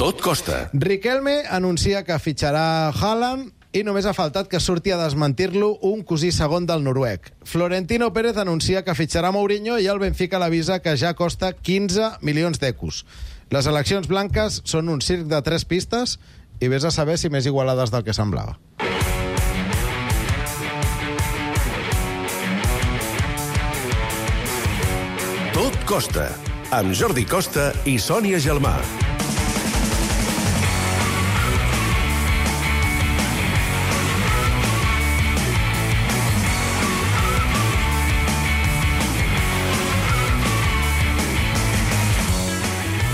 Tot costa. Riquelme anuncia que fitxarà Haaland i només ha faltat que surti a desmentir-lo un cosí segon del noruec. Florentino Pérez anuncia que fitxarà Mourinho i el Benfica l'avisa que ja costa 15 milions d'ecos. Les eleccions blanques són un circ de 3 pistes i vés a saber si més igualades del que semblava. Tot costa, amb Jordi Costa i Sònia Gelmà.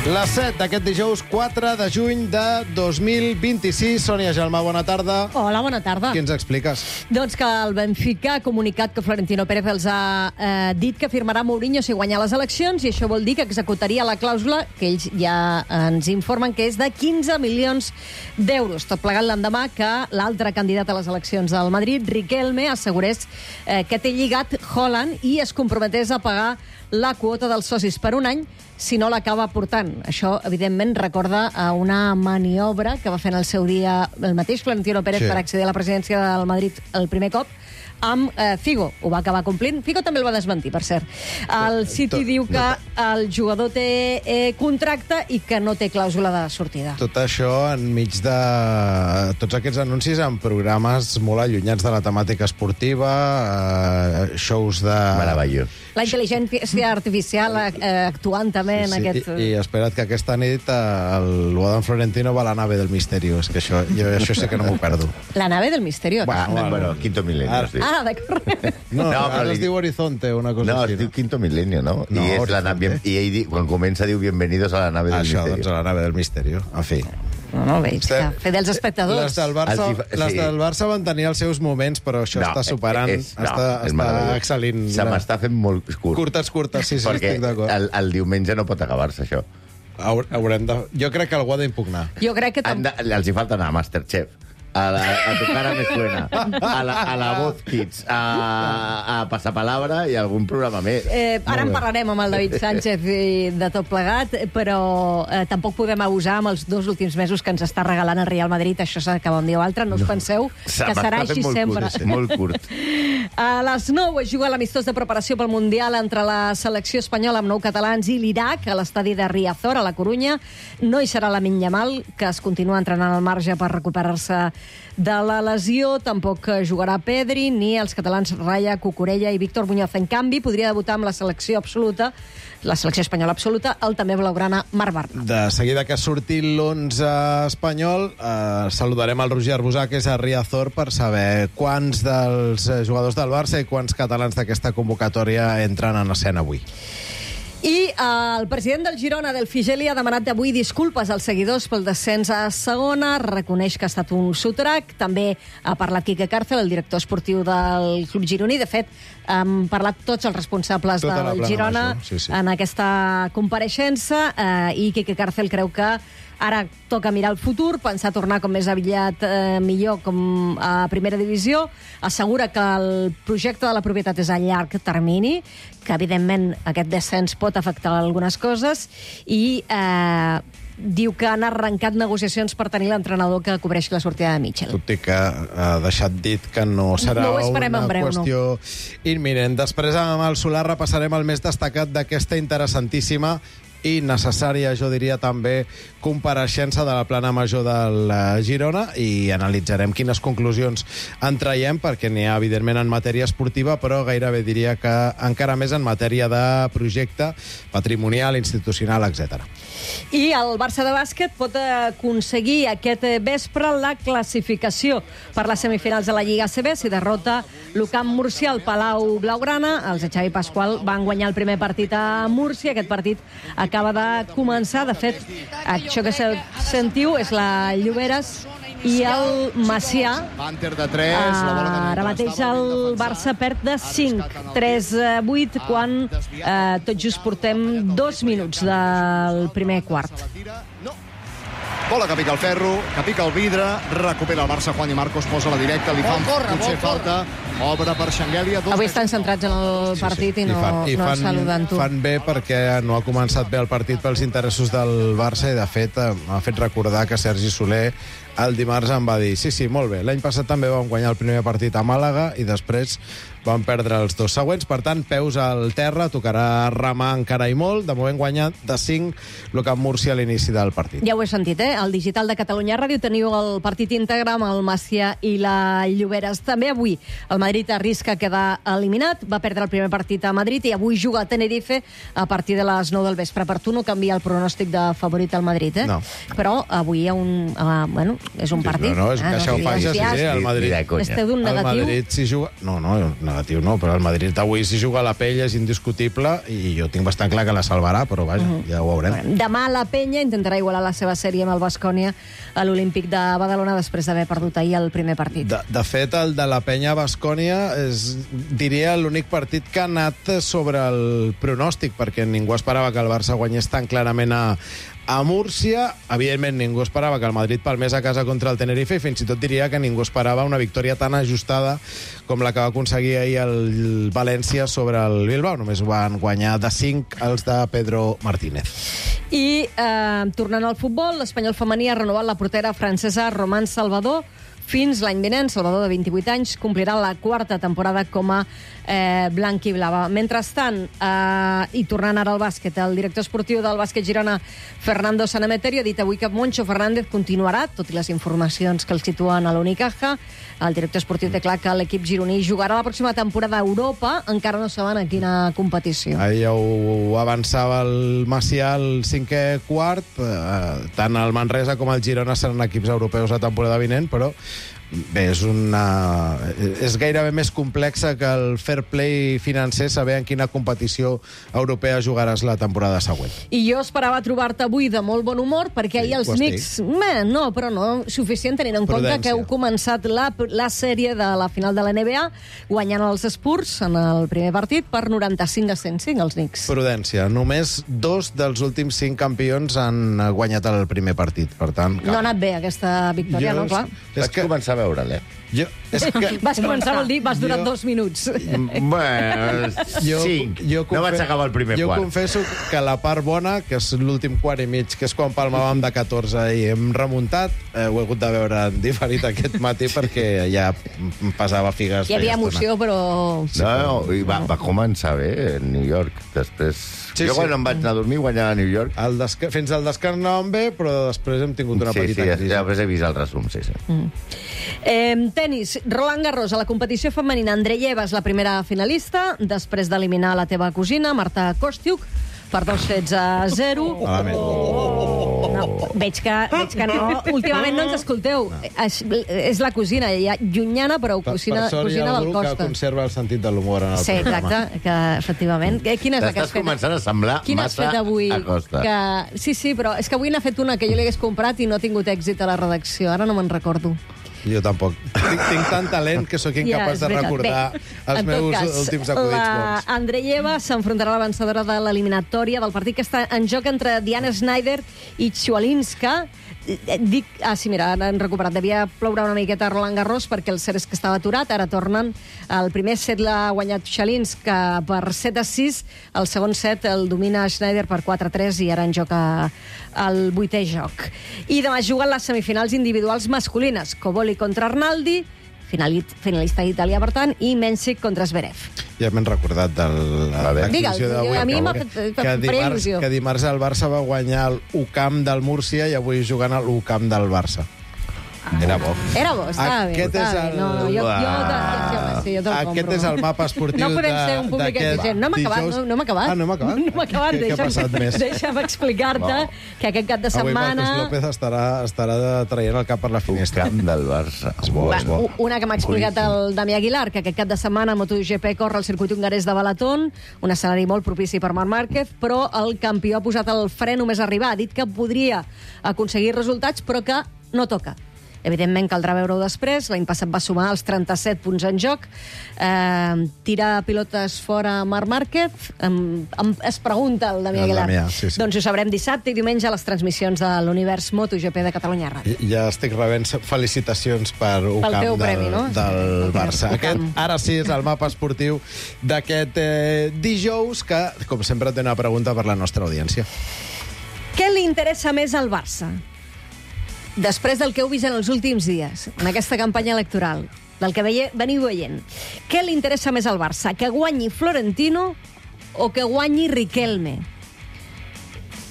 Les 7 d'aquest dijous 4 de juny de 2026. Sònia Gelmà, bona tarda. Hola, bona tarda. Què ens expliques? Doncs que el Benfica ha comunicat que Florentino Pérez els ha dit que firmarà Mourinho si guanya les eleccions, i això vol dir que executaria la clàusula que ells ja ens informen que és de 15 milions d'euros. Tot plegat l'endemà que l'altre candidat a les eleccions del Madrid, Riquelme, assegurés que té lligat Haaland i es comprometés a pagar la quota dels socis per un any si no l'acaba portant. Això, evidentment, recorda a una maniobra que va fer en el seu dia el mateix Florentino Pérez per accedir a la presidència del Madrid el primer cop, amb Figo. Ho va acabar complint. Figo també el va desmentir, per cert. El City diu que el jugador té contracte i que no té clàusula de sortida. Tot això enmig de tots aquests anuncis en programes molt allunyats de la temàtica esportiva, shows de... Meravellós. La intel·ligència artificial actuant també en aquest... I espera't que aquesta nit l'Adam Florentino va a la nave del misterio. És que això sí que no m'ho perdo. La nave del misterio. Bueno, quinto milenio, sí. Ah, d'acord. No, ara es diu Horizonte, una cosa No, així. es diu quinto milenio, no? No, I, és la Horizonte. nave, i ell, quan comença, diu bienvenidos a la nave del Això, misterio. doncs, a la nave del misterio. En fi. No, veig que fer dels espectadors. Les del Barça van tenir els seus moments, però això està superant, està excel·lint. Se m'està fent molt curt. Curtes, sí, perquè estic d'acord. el diumenge no pot acabar-se, això. Haurem de... Jo crec que algú ha d'impugnar. Jo crec que... Els hi falta anar a Masterchef, a Tu cara me suena, a la Voz Kids, a Passapalabra i algun programa més. Ara en parlarem amb el David Sánchez de tot plegat, però tampoc podem abusar amb els 2 últims mesos que ens està regalant el Real Madrid. Això s'acaba un dia o altre. No us penseu que serà així sempre. Molt curt. A les 9 es juga l'amistós de preparació pel Mundial entre la selecció espanyola amb 9 catalans i l'Iraq a l'estadi de Riazor, a la Corunya. No hi serà Lamine Yamal, que es continua entrenant al marge per recuperar-se de la lesió. Tampoc jugarà Pedri, ni els catalans Raya, Cucurella i Víctor Muñoz. En canvi, podria debutar amb la selecció absoluta, la selecció espanyola absoluta, el també blaugrana Marc Bartra. De seguida que surti l'11 espanyol, saludarem el Roger Arbusà, que és a Riazor, per saber quants dels jugadors del Barça i quants catalans d'aquesta convocatòria entren en escena avui. I el president del Girona, del Figeli, ha demanat avui disculpes als seguidors pel descens a segona, reconeix que ha estat un sotrac. També ha parlat Quique Cárcel, el director esportiu del club gironí. De fet, han parlat tots els responsables del Girona en aquesta compareixença, i Quique Cárcel creu que ara toca mirar el futur, pensar tornar com més aviat millor com a primera divisió. Assegura que el projecte de la propietat és a llarg termini, que evidentment aquest descens pot afectar algunes coses, i diu que han arrencat negociacions per tenir l'entrenador que cobreixi la sortida de Mitchell. Tot i que ha deixat dit que no serà una qüestió imminent. Després, amb el Solà, repassarem el més destacat d'aquesta interessantíssima i necessària, jo diria també, compareixença de la plana major del Girona, i analitzarem quines conclusions en traiem, perquè n'hi ha, evidentment, en matèria esportiva, però gairebé diria que encara més en matèria de projecte patrimonial, institucional, etc. I el Barça de bàsquet pot aconseguir aquest vespre la classificació per les semifinals de la Lliga ACB si derrota l'UCAM Múrcia al Palau Blaugrana. Els de Xavi Pasqual van guanyar el primer partit a Múrcia. Aquest partit acaba de començar. De fet, això que sentiu és la Lloberes i el Macià. Ara mateix el Barça perd de 5, 3-8, quan tot just portem 2 minuts del primer quart. Bola que pica el ferro, que pica el vidre, recupera el Barça, Juan i Marcos posa la directa, li fan potser falta, Obre per Xanguèlia. Avui estan centrats en el partit i no saluden tu. Fan bé perquè no ha començat bé el partit pels interessos del Barça i, de fet, m'ha fet recordar que Sergi Soler el dimarts em va dir sí, molt bé, l'any passat també vam guanyar el primer partit a Màlaga i després van perdre els 2 següents. Per tant, peus al terra, tocarà remar encara i molt. De moment guanyat de 5 el Camp Múrcia a l'inici del partit. Ja ho he sentit, Al Digital de Catalunya Ràdio teniu el partit íntegre amb el Macià i la Lloberes. També avui el Madrid arrisca quedar eliminat. Va perdre el primer partit a Madrid i avui juga a Tenerife a partir de les 9 del vespre. Per tu no canvia el pronòstic de favorit al Madrid, No. Però avui hi ha un... és un partit. No, és que això ho fa ja, sí, el Madrid. Esteu d'un negatiu? El Madrid s'hi juga... No, negatiu no, però el Madrid avui s'hi juga la Pella, és indiscutible, i jo tinc bastant clar que la salvarà, però vaja, ja ho veurem. Demà la Penya intentarà igualar la seva sèrie amb el Baskonia a l'Olímpic de Badalona després d'haver perdut ahir el primer partit. De fet, el de la Penya-Baskonia és, diria, l'únic partit que ha anat sobre el pronòstic, perquè ningú esperava que el Barça guanyés tan clarament a Múrcia. Evidentment, ningú esperava que el Madrid palmés a casa contra el Tenerife i fins i tot diria que ningú esperava una victòria tan ajustada com la que va aconseguir ahir el València sobre el Bilbao. Només van guanyar de 5 els de Pedro Martínez. I, tornant al futbol, l'Espanyol femení ha renovat la portera francesa Román Salvador fins l'any vinent. Salvador, de 28 anys, complirà la 4ª temporada com a blanc-i-blava. Mentrestant, i tornant ara al bàsquet, el director esportiu del bàsquet Girona, Fernando Sanemeterio, ha dit avui que Moncho Fernández continuarà, tot i les informacions que el situen a l'Unicaja. El director esportiu té clar que l'equip gironí jugarà la pròxima temporada a Europa, encara no saben a quina competició. Ahir ja ho avançava el Macià al 5è quart. Tant el Manresa com el Girona seran equips europeus la temporada vinent, però bé, és gairebé més complexa que el fair play financer saber en quina competició europea jugaràs la temporada següent. I jo esperava trobar-te avui de molt bon humor, perquè ahir els Knicks... No, però no suficient, tenint en compte que heu començat la sèrie de la final de la NBA guanyant els Spurs en el primer partit per 95-105, els Knicks. Prudència. Només 2 dels últims 5 campions han guanyat el primer partit, per tant... No ha anat bé aquesta victòria, no? Clar. Vaig començar a veure'l, Vas començar, vol dir, vas durar 2 minuts. Bueno, 5. No vaig acabar el primer quart. Jo confesso que la part bona, que és l'últim quart i mig, que és quan palmàvem de 14 i hem remuntat, ho he hagut de veure en diferit aquest matí perquè ja em pesava figues. Hi havia emoció, però... No, i va començar bé a New York. Després... Jo quan em vaig anar a dormir guanyava a New York. Fins al descans anàvem bé, però després hem tingut una petita crisi. Sí, després he vist el resum, sí. Tenis, Roland Garros, a la competició femenina, Andreyeva és la primera finalista, després d'eliminar la teva cosina, Marta Kostiuk, per 2-0. No, veig que no. Últimament no ens escolteu. És la cosina, llunyana, però cosina del Costa. Per sort hi ha algú que conserva el sentit de l'humor en el programa. Sí, exacte, que efectivament. Quina és la que has fet? T'estàs començant a semblar massa a Costa. Sí, però és que avui n'ha fet una que jo li hagués comprat i no ha tingut èxit a la redacció. Ara no me'n recordo. Jo tampoc. Tinc tant talent que sóc incapaç de recordar els meus últims acudits bons. Andreyeva s'enfrontarà a la vencedora de l'eliminatòria del partit que està en joc entre Diana Schneider i Swialinska. Mira, han recuperat. Devia ploure una miqueta a Roland Garros perquè el set és que estava aturat. Ara tornen. El primer set l'ha guanyat Swialinska per 7-6. El segon set el domina Schneider per 4-3 i ara en joc al 8è joc. I demà juguen les semifinals individuals masculines. Coboli contra Arnaldi, finalista d'Itàlia, per tant, i Mensik contra Zverev. Ja m'he recordat de l'exhibició d'avui. A mi m'ha fet il·lusió. Que dimarts el Barça va guanyar l'UCamp del Múrcia i avui jugant a l'UCamp del Barça. Era bo. Era bo, estava bé. Aquest és el mapa esportiu no podem ser un públic exigent. No hem acabat. No hem acabat? No hem acabat. Què ha passat més? Deixa'm explicar-te que aquest cap de setmana... Avui Marcos López estarà traient el cap per la finestra. Camp del Barça. És bo. Una que m'ha explicat el Dami Aguilar, que aquest cap de setmana a MotoGP corre el circuit hongarès de Balaton, un escenari molt propici per Marc Márquez, però el campió ha posat el fre només arribar. Ha dit que podria aconseguir resultats, però que no toca. Evidentment, caldrà veure-ho després. L'any passat va sumar els 37 punts en joc. Tira pilotes fora Marc Márquez. Es pregunta el Damià Aguilar. Sí. Doncs ho sabrem dissabte i diumenge a les transmissions de l'Univers MotoGP de Catalunya Ràdio. Ja estic rebent felicitacions per UCAM teu premi, no? del Barça. Aquest, ara sí, és el mapa esportiu d'aquest dijous, que, com sempre, té una pregunta per la nostra audiència. Què li interessa més al Barça? Després del que heu vist en els últims dies, en aquesta campanya electoral, del que veniu veient, què li interessa més al Barça? Que guanyi Florentino o que guanyi Riquelme?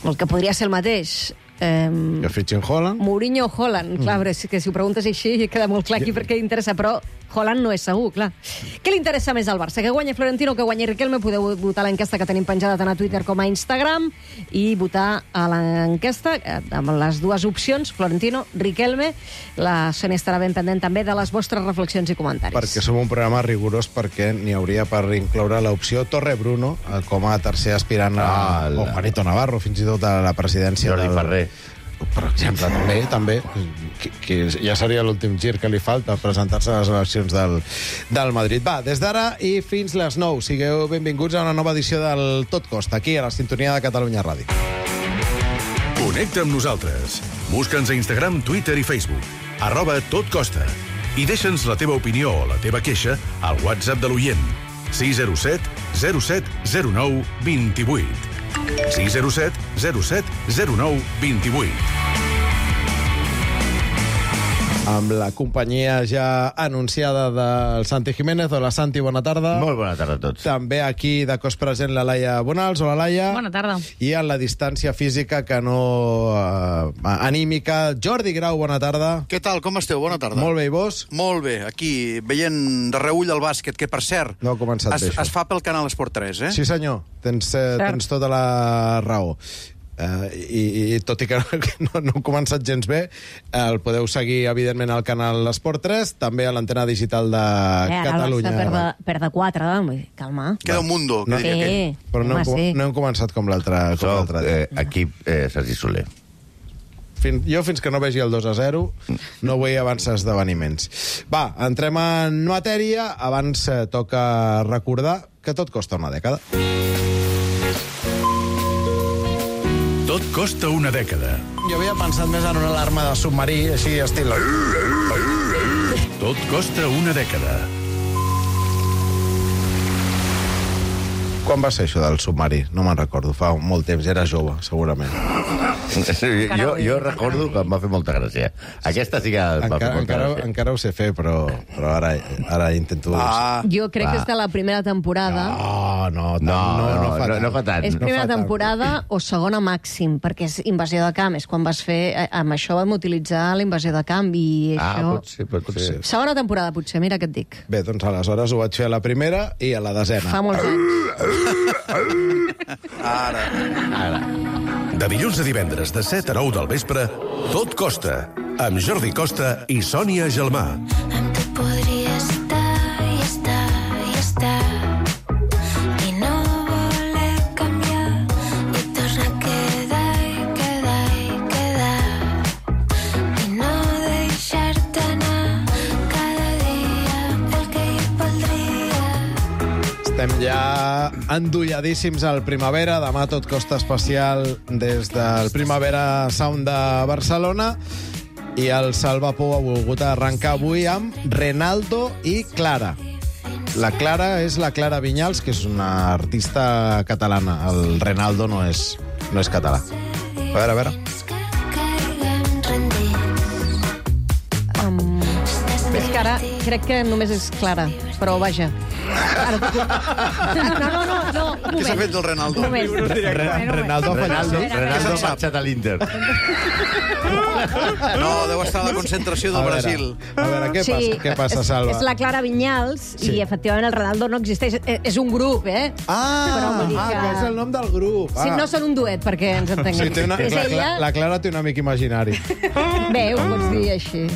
El que podria ser el mateix. Que fitxin Haaland? Mourinho o Haaland. Clar, però que si ho preguntes així queda molt clar aquí perquè interessa, però Haaland no és segur, clar. Què li interessa més al Barça? Que guanyi Florentino o que guanyi Riquelme? Podeu votar a l'enquesta que tenim penjada tant a Twitter com a Instagram i votar a l'enquesta amb les dues opcions, Florentino, Riquelme. La Sònia estarà ben pendent també de les vostres reflexions i comentaris. Perquè som un programa rigorós, perquè n'hi hauria per incloure l'opció Torre Bruno com a tercer aspirant o Juanito Navarro, fins i tot a la presidència. Jordi Ferrer. Per exemple, també que ja seria l'últim gir que li falta presentar-se a les eleccions del Madrid. Va, des d'ara i fins les 9. Sigueu benvinguts a una nova edició del Tot Costa, aquí a la sintonia de Catalunya Ràdio. Connecta amb nosaltres. Busca'ns a Instagram, Twitter i Facebook. @totcosta. I deixa'ns la teva opinió o la teva queixa al WhatsApp de l'oient. 607 07 09 28. 607 07 09 28. Amb la companyia ja anunciada del Santi Jiménez. Hola, Santi, bona tarda. Molt bona tarda a tots. També aquí de cos present la Laia Bonals. Hola, Laia. Bona tarda. I a la distància física, que no anímica, Jordi Grau, bona tarda. Què tal, com esteu? Bona tarda. Molt bé, i vos? Molt bé, aquí, veient de reull el bàsquet, que, per cert, No ha començat bé, això. es fa pel canal Esport 3, eh? Sí, senyor, tens tota la raó. I tot i que no hem començat gens bé, el podeu seguir, evidentment, al canal Esport 3, també a l'antena digital de Catalunya. Ara per de 4, calma. Queda un mundo, que diria aquell. Però no hem començat com l'altre dia. Equip Sergi Soler. Jo, fins que no vegi el 2-0, no vull avançar esdeveniments. Va, entrem en matèria. Abans toca recordar que tot costa una dècada. Tot costa una dècada. Jo havia pensat més en una alarma de submarí, així estil... Tot costa una dècada. Quan va ser això del submarí? No me'n recordo, fa molt temps, era jove, segurament. Jo recordo que em va fer molta gràcia. Aquesta sí que em va fer molta gràcia. Encara ho sé fer, però ara intento... Jo crec que és de la primera temporada. No fa tant. És primera temporada o segona màxim, perquè és invasió de camp. És quan vas fer... Amb això vam utilitzar la invasió de camp i això... Pot ser. Segona temporada, potser, mira què et dic. Bé, doncs aleshores ho vaig fer a la primera i a la desena. Fa molts anys. Ara. De dilluns a divendres, de 7 a 9 del vespre, Tot costa, amb Jordi Costa i Sònia Gelmà. Amb tu podria estar i estar i estar i no voler canviar i tornar a quedar i quedar i quedar i no deixar-te anar cada dia el que hi voldria. Estem ja endolladíssims al Primavera. Demà Tot Costa especial des del Primavera Sound de Barcelona. I el Salvapou ha volgut arrencar avui amb Renaldo i Clara. La Clara és la Clara Vinyals, que és una artista catalana. El Renaldo no és català. A veure. És que ara crec que només és Clara, però vaja. No, Què s'ha fet del Renaldo? Un moment. Renaldo ha fallat. Renaldo ha marxat a l'Inter. No, deu estar a la concentració del Brasil. A veure, què passa, Salva? És la Clara Vinyals i, efectivament, el Renaldo no existeix. És un grup, eh? Però vull dir que és el nom del grup. Sí, no són un duet, perquè ens entenguem. És ella... La Clara té un amic imaginari. Bé, ho pots dir així.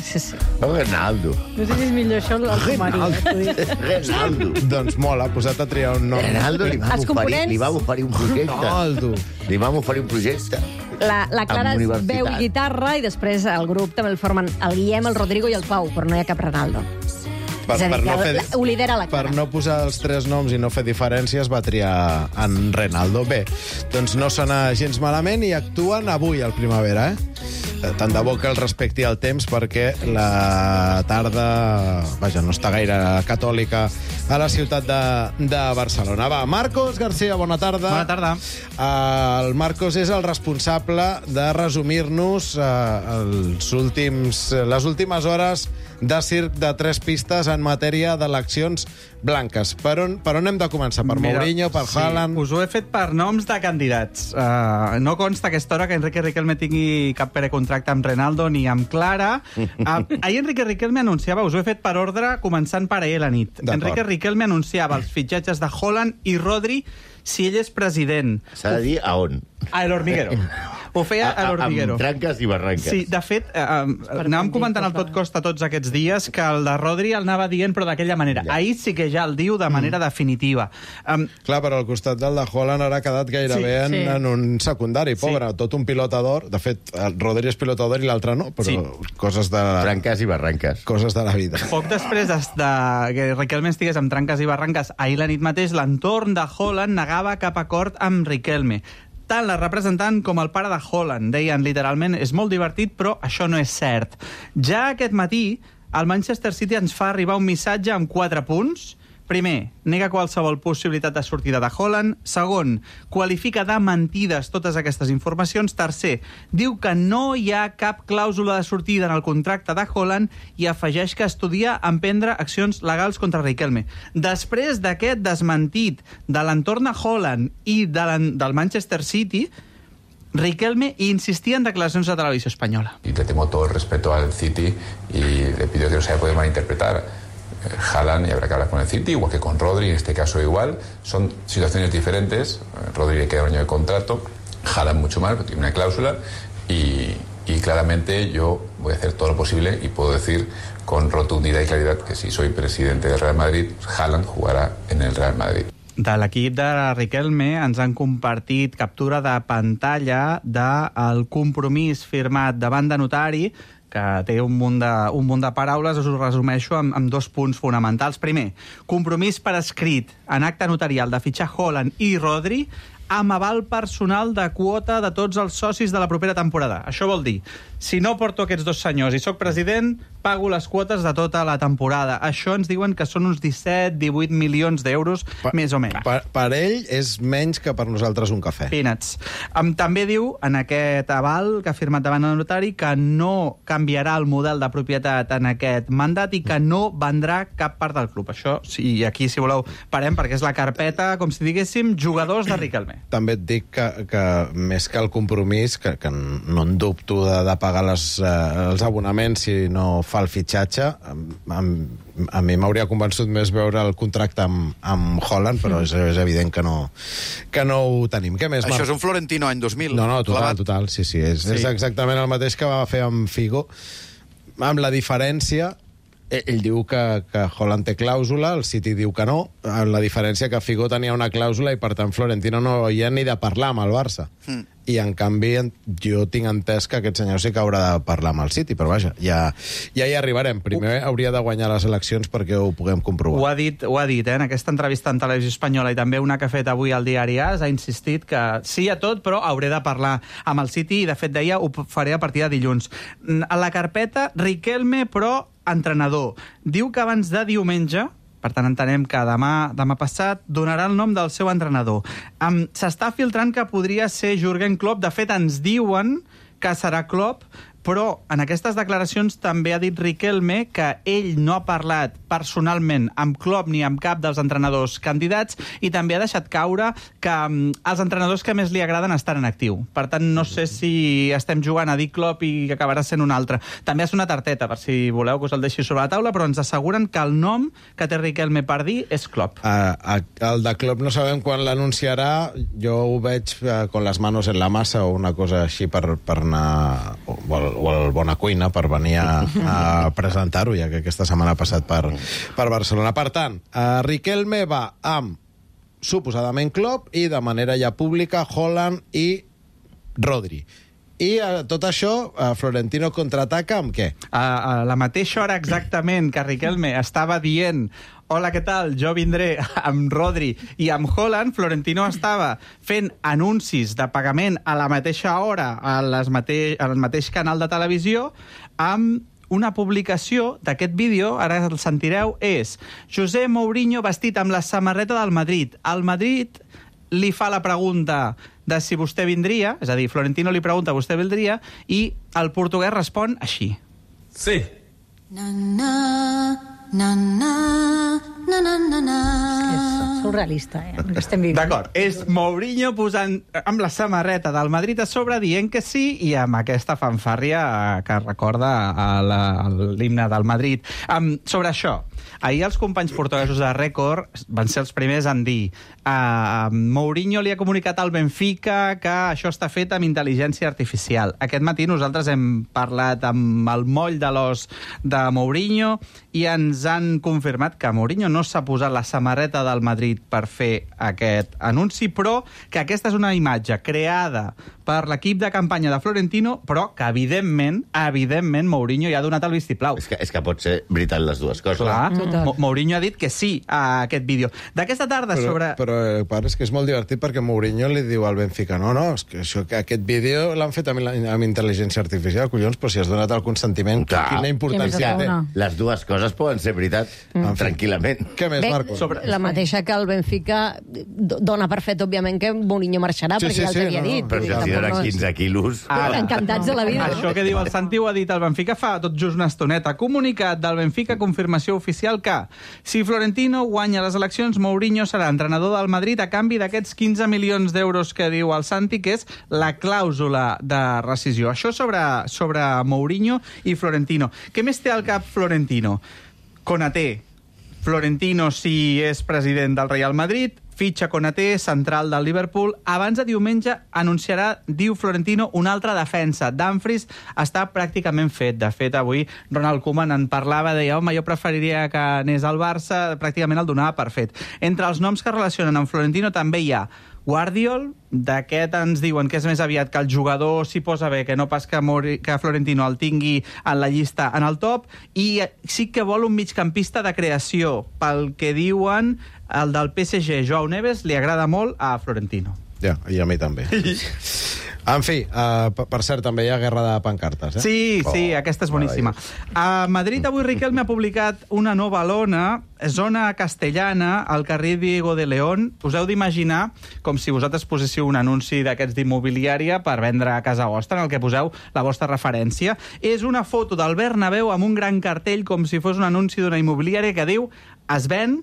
Renaldo. No sé si és millor això o el marit. Renaldo. Doncs mola, posat a triar un nom. Renaldo li vam oferir un projecte. Renaldo. Li vam oferir un projecte. La Clara Amb universitat. veu i guitarra i després el grup també el formen el Guillem, el Rodrigo i el Pau, però no hi ha cap Renaldo. És a dir, ho lidera la Clara. Per no posar els 3 noms i no fer diferències, va triar en Renaldo. Bé, doncs no sona gens malament i actuen avui al Primavera, Tant de bo que el respecti el temps, perquè la tarda, vaja, no està gaire catòlica a la ciutat de Barcelona. Va, Marcos García, bona tarda. Bona tarda. El Marcos és el responsable de resumir-nos les últimes hores de circ de 3 pistes en matèria d'eleccions blanques. Per on hem de començar? Per Mourinho, per Haaland? Us ho he fet per noms de candidats. No consta a aquesta hora que Enrique Riquelme tingui cap precontracte amb Renaldo ni amb Clara. Ahir Enrique Riquelme anunciava, us ho he fet per ordre, començant per ahir a la nit. Enrique Riquelme anunciava els fitxatges de Haaland i Rodri si ell és president. S'ha de dir a on. A El Hormiguero. Ho feia a l'Hormiguero. Amb tranques i barranques. Sí, de fet, anàvem comentant al Tot Costa tots aquests dies que el de Rodri el anava dient, però d'aquella manera. Ahir sí que ja el diu de manera definitiva. Clar, però al costat del de Haaland ara ha quedat gairebé en un secundari, pobre, tot un pilota d'or. De fet, el Rodri és pilota d'or i l'altre no, però coses de... Tranques i barranques. Coses de la vida. Poc després que Riquelme estigués amb tranques i barranques, ahir la nit mateix, l'entorn de Haaland negava cap acord amb Riquelme. Tant la representant com el pare de Haaland deien literalment és molt divertit, però això no és cert. Ja aquest matí, el Manchester City ens fa arribar un missatge amb 4 punts. Primer, nega qualsevol possibilitat de sortida de Haaland. Segon, qualifica de mentides totes aquestes informacions. Tercer, diu que no hi ha cap clàusula de sortida en el contracte de Haaland i afegeix que estudia emprendre accions legals contra Riquelme. Després d'aquest desmentit de l'entorn de Haaland i del Manchester City, Riquelme insistía en declaraciones a Televisión Española. Y le tengo todo el respeto al City y le pido que no se pueda malinterpretar. Haaland, y habrá que hablar con el City, igual que con Rodri, en este caso igual. Son situaciones diferentes. Rodri le queda un año de contrato, Haaland mucho más, porque tiene una cláusula, y claramente yo voy a hacer todo lo posible y puedo decir con rotundidad y claridad que si soy presidente del Real Madrid, Haaland jugará en el Real Madrid. De l'equip de Riquelme ens han compartit captura de pantalla del compromís firmat davant de notari, que té un munt de paraules. Us ho resumeixo amb 2 punts fonamentals. Primer, compromís per escrit en acte notarial de fitxar Haaland i Rodri amb aval personal de quota de tots els socis de la propera temporada. Això vol dir, si no porto aquests 2 senyors i sóc president, pago les quotes de tota la temporada. Això ens diuen que són uns 17-18 milions d'euros, més o menys. Per ell és menys que per nosaltres un cafè. Peanuts. També diu, en aquest aval que ha firmat davant del notari, que no canviarà el model de propietat en aquest mandat i que no vendrà cap part del club. Això, sí, aquí, si voleu, parem, perquè és la carpeta, com si diguéssim, jugadors de Riquelme. També et dic que més que el compromís, que no en dubto de pagar els abonaments si no fa el fitxatge, a mi m'hauria convençut més veure el contracte amb Haaland, però és evident que no ho tenim. Què més, Marc? Això és un Florentino any 2000. No, total, sí. És exactament el mateix que va fer amb Figo, amb la diferència. Ell diu que Haaland té clàusula, el City diu que no, la diferència que Figo tenia una clàusula i, per tant, Florentino no hi ha ni de parlar amb el Barça. I, en canvi, jo tinc entès que aquest senyor sí que haurà de parlar amb el City, però vaja, ja hi arribarem. Primer hauria de guanyar les eleccions perquè ho puguem comprovar. Ho ha dit, en aquesta entrevista en Televisió Espanyola i també una que ha fet avui al diari AS, ha insistit que sí a tot, però hauré de parlar amb el City i, de fet, deia, ho faré a partir de dilluns. A la carpeta, Riquelme, però entrenador. Diu que abans de diumenge, per tant entenem que demà passat, donarà el nom del seu entrenador. S'està filtrant que podria ser Jürgen Klopp. De fet, ens diuen que serà Klopp, però en aquestes declaracions també ha dit Riquelme que ell no ha parlat personalment amb Klopp ni amb cap dels entrenadors candidats i també ha deixat caure que els entrenadors que més li agraden estan en actiu. Per tant, no sé si estem jugant a dir Klopp i que acabarà sent un altre. També ha sonat Arteta, per si voleu que us el deixi sobre la taula, però ens asseguren que el nom que té Riquelme per dir és Klopp. El de Klopp no sabem quan l'anunciarà. Jo ho veig con les manos en la massa o una cosa així per anar... o el Bona Cuina per venir a presentar-ho, ja que aquesta setmana ha passat per Barcelona. Per tant, Riquelme va amb suposadament Klopp i de manera ja pública Haaland i Rodri. I tot això, Florentino contraataca amb què? A la mateixa hora exactament que Riquelme estava dient hola, què tal? Jo vindré amb Rodri i amb Haaland. Florentino estava fent anuncis de pagament a la mateixa hora al mateix canal de televisió amb una publicació d'aquest vídeo, ara el sentireu, és José Mourinho vestit amb la samarreta del Madrid. El Madrid li fa la pregunta de si vostè vindria, és a dir, Florentino li pregunta vostè vindria, i el portuguès respon així. Sí. És surrealista, el que estem vivint. D'acord, és Mourinho posant amb la samarreta del Madrid a sobre dient que sí i amb aquesta fanfàrria que recorda l'himne del Madrid. Sobre això, ahir els companys portuguesos de Record van ser els primers en dir Mourinho li ha comunicat al Benfica que això està fet amb intel·ligència artificial. Aquest matí nosaltres hem parlat amb el moll de l'os de Mourinho i ens han confirmat que Mourinho no s'ha posat la samarreta del Madrid per fer aquest anunci, però que aquesta és una imatge creada per l'equip de campanya de Florentino, però que evidentment Mourinho ja ha donat el vistiplau. És que pot ser veritat les dues coses. Clar, Mourinho ha dit que sí a aquest vídeo. D'aquesta tarda Però és que és molt divertit perquè Mourinho li diu al Benfica és que aquest vídeo l'han fet amb intel·ligència artificial, collons, però si has donat el consentiment, quina importància té. Les dues coses poden ser veritat, tranquil·lament. Què més, Marcos? La mateixa que el Benfica dona per fet, òbviament, que Mourinho marxarà, perquè ja els havia dit. Però si els dona 15 quilos... Encantats de la vida. Això que diu el Santi ho ha dit el Benfica fa tot just una estoneta. Comunicat del Benfica, confirmació oficial que si Florentino guanya les eleccions, Mourinho serà entrenador del Madrid a canvi d'aquests 15 milions d'euros que diu el Santi, que és la clàusula de rescisió. Això sobre Mourinho i Florentino. Què més té al cap Florentino? Konaté. Florentino, si és president del Real Madrid, fitxa Konaté, central del Liverpool. Abans de diumenge anunciarà, diu Florentino, una altra defensa. Dumfries està pràcticament fet. De fet, avui Ronald Koeman en parlava, deia, home, jo preferiria que anés al Barça, pràcticament el donava per fet. Entre els noms que relacionen amb Florentino també hi ha Guardiol, d'aquest ens diuen que és més aviat que el jugador s'hi posa bé, que no pas que Florentino el tingui en la llista en el top, i sí que vol un migcampista de creació. Pel que diuen, el del PSG, Joao Neves, li agrada molt a Florentino. Ja, i a mi també. En fi, per cert, també hi ha guerra de pancartes, eh? Sí, aquesta és boníssima. A Madrid avui Riquelme ha publicat una nova lona, zona castellana, al carrer Diego de León. Us heu d'imaginar com si vosaltres poséssiu un anunci d'aquests d'immobiliària per vendre a casa vostra, en el que poseu la vostra referència. És una foto del Bernabéu amb un gran cartell, com si fos un anunci d'una immobiliària que diu es ven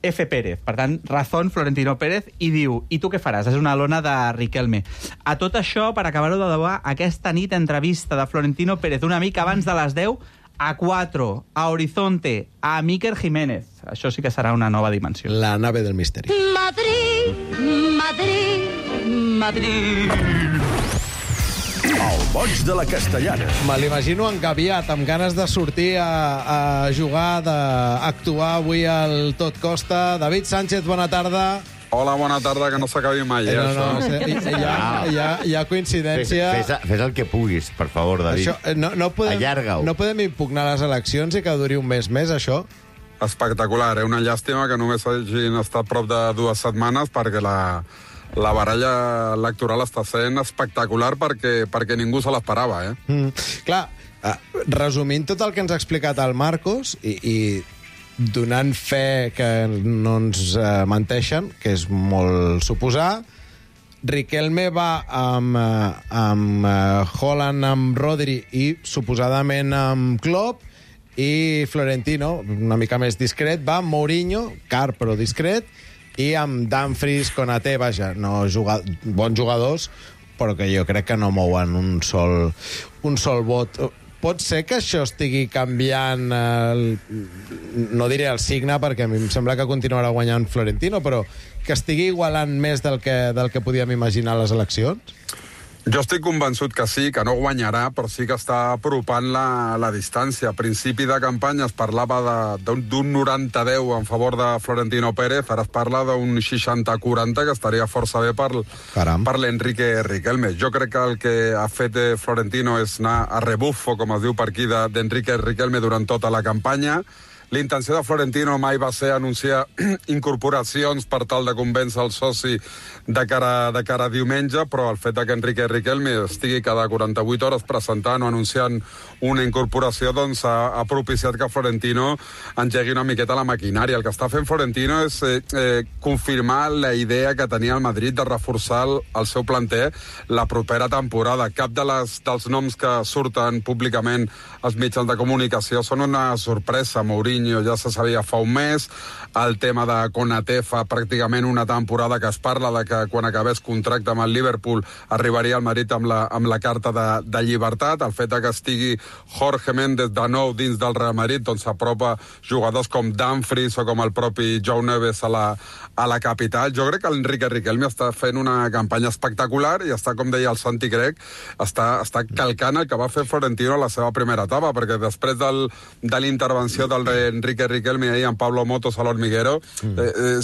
F. Pérez, per tant, Razón Florentino Pérez, i diu, i tu què faràs? És una lona de Riquelme. A tot això, per acabar-ho de debar, aquesta nit entrevista de Florentino Pérez, una mica abans de les 10, a 4, a Horizonte, a Iker Jiménez. Això sí que serà una nova dimensió. La nave del misteri. Madrid, Madrid, Madrid. El boig de la Castellana. Me l'imagino engaviat, amb ganes de sortir a jugar, d'actuar avui al Tot Costa. David Sánchez, bona tarda. Hola, bona tarda, que no s'acabi mai, Hi ha coincidència. Fes el que puguis, per favor, David. Allarga-ho. No podem impugnar les eleccions i que duri un mes més, això? Espectacular, una llàstima que només hagin estat prop de 2 setmanes, perquè la baralla electoral està sent espectacular perquè ningú se l'esperava, Clar, resumint tot el que ens ha explicat el Marcos i donant fe que no ens menteixen, que és molt suposar, Riquelme va amb Haaland, amb Rodri i suposadament amb Klopp, i Florentino, una mica més discret, va amb Mourinho, car però discret, i amb Dumfries, Konaté, vaja, bons jugadors, però que jo crec que no mouen un sol vot. Pot ser que això estigui canviant, no diré el signe, perquè a mi em sembla que continuarà guanyant Florentino, però que estigui igualant més del que podíem imaginar a les eleccions? Jo estic convençut que sí, que no guanyarà, però sí que està apropant la distància. A principi de campanya es parlava d'un 90-10 en favor de Florentino Pérez, ara es parla d'un 60-40, que estaria força bé per l'Enrique Riquelme. Jo crec que el que ha fet Florentino és anar a rebufo, com es diu per aquí, d'Enrique Riquelme durant tota la campanya. La intenció de Florentino mai va ser anunciar incorporacions per tal de convèncer el soci de cara a diumenge, però el fet que Enrique Riquelme estigui cada 48 hores presentant o anunciant una incorporació doncs ha propiciat que Florentino engegui una miqueta la maquinària. El que està fent Florentino és confirmar la idea que tenia el Madrid de reforçar el seu planter la propera temporada. Cap dels noms que surten públicament als mitjans de comunicació són una sorpresa. Mourinho ja se sabia fa un mes, el tema de Konaté fa pràcticament una temporada que es parla de que quan acabés contracte amb el Liverpool arribaria al Madrid amb la carta de llibertat. El fet que estigui Jorge Méndez de nou dins del Real Madrid doncs s'apropa jugadors com Dumfries o com el propi Joe Neves a la capital. Jo crec que l'Enrique Riquelme està fent una campanya espectacular i està, com deia el Santi Crec, està calcant el que va fer Florentino a la seva primera etapa, perquè després de l'intervenció del Enrique Riquelme ahir amb Pablo Motos a l'Hormiguero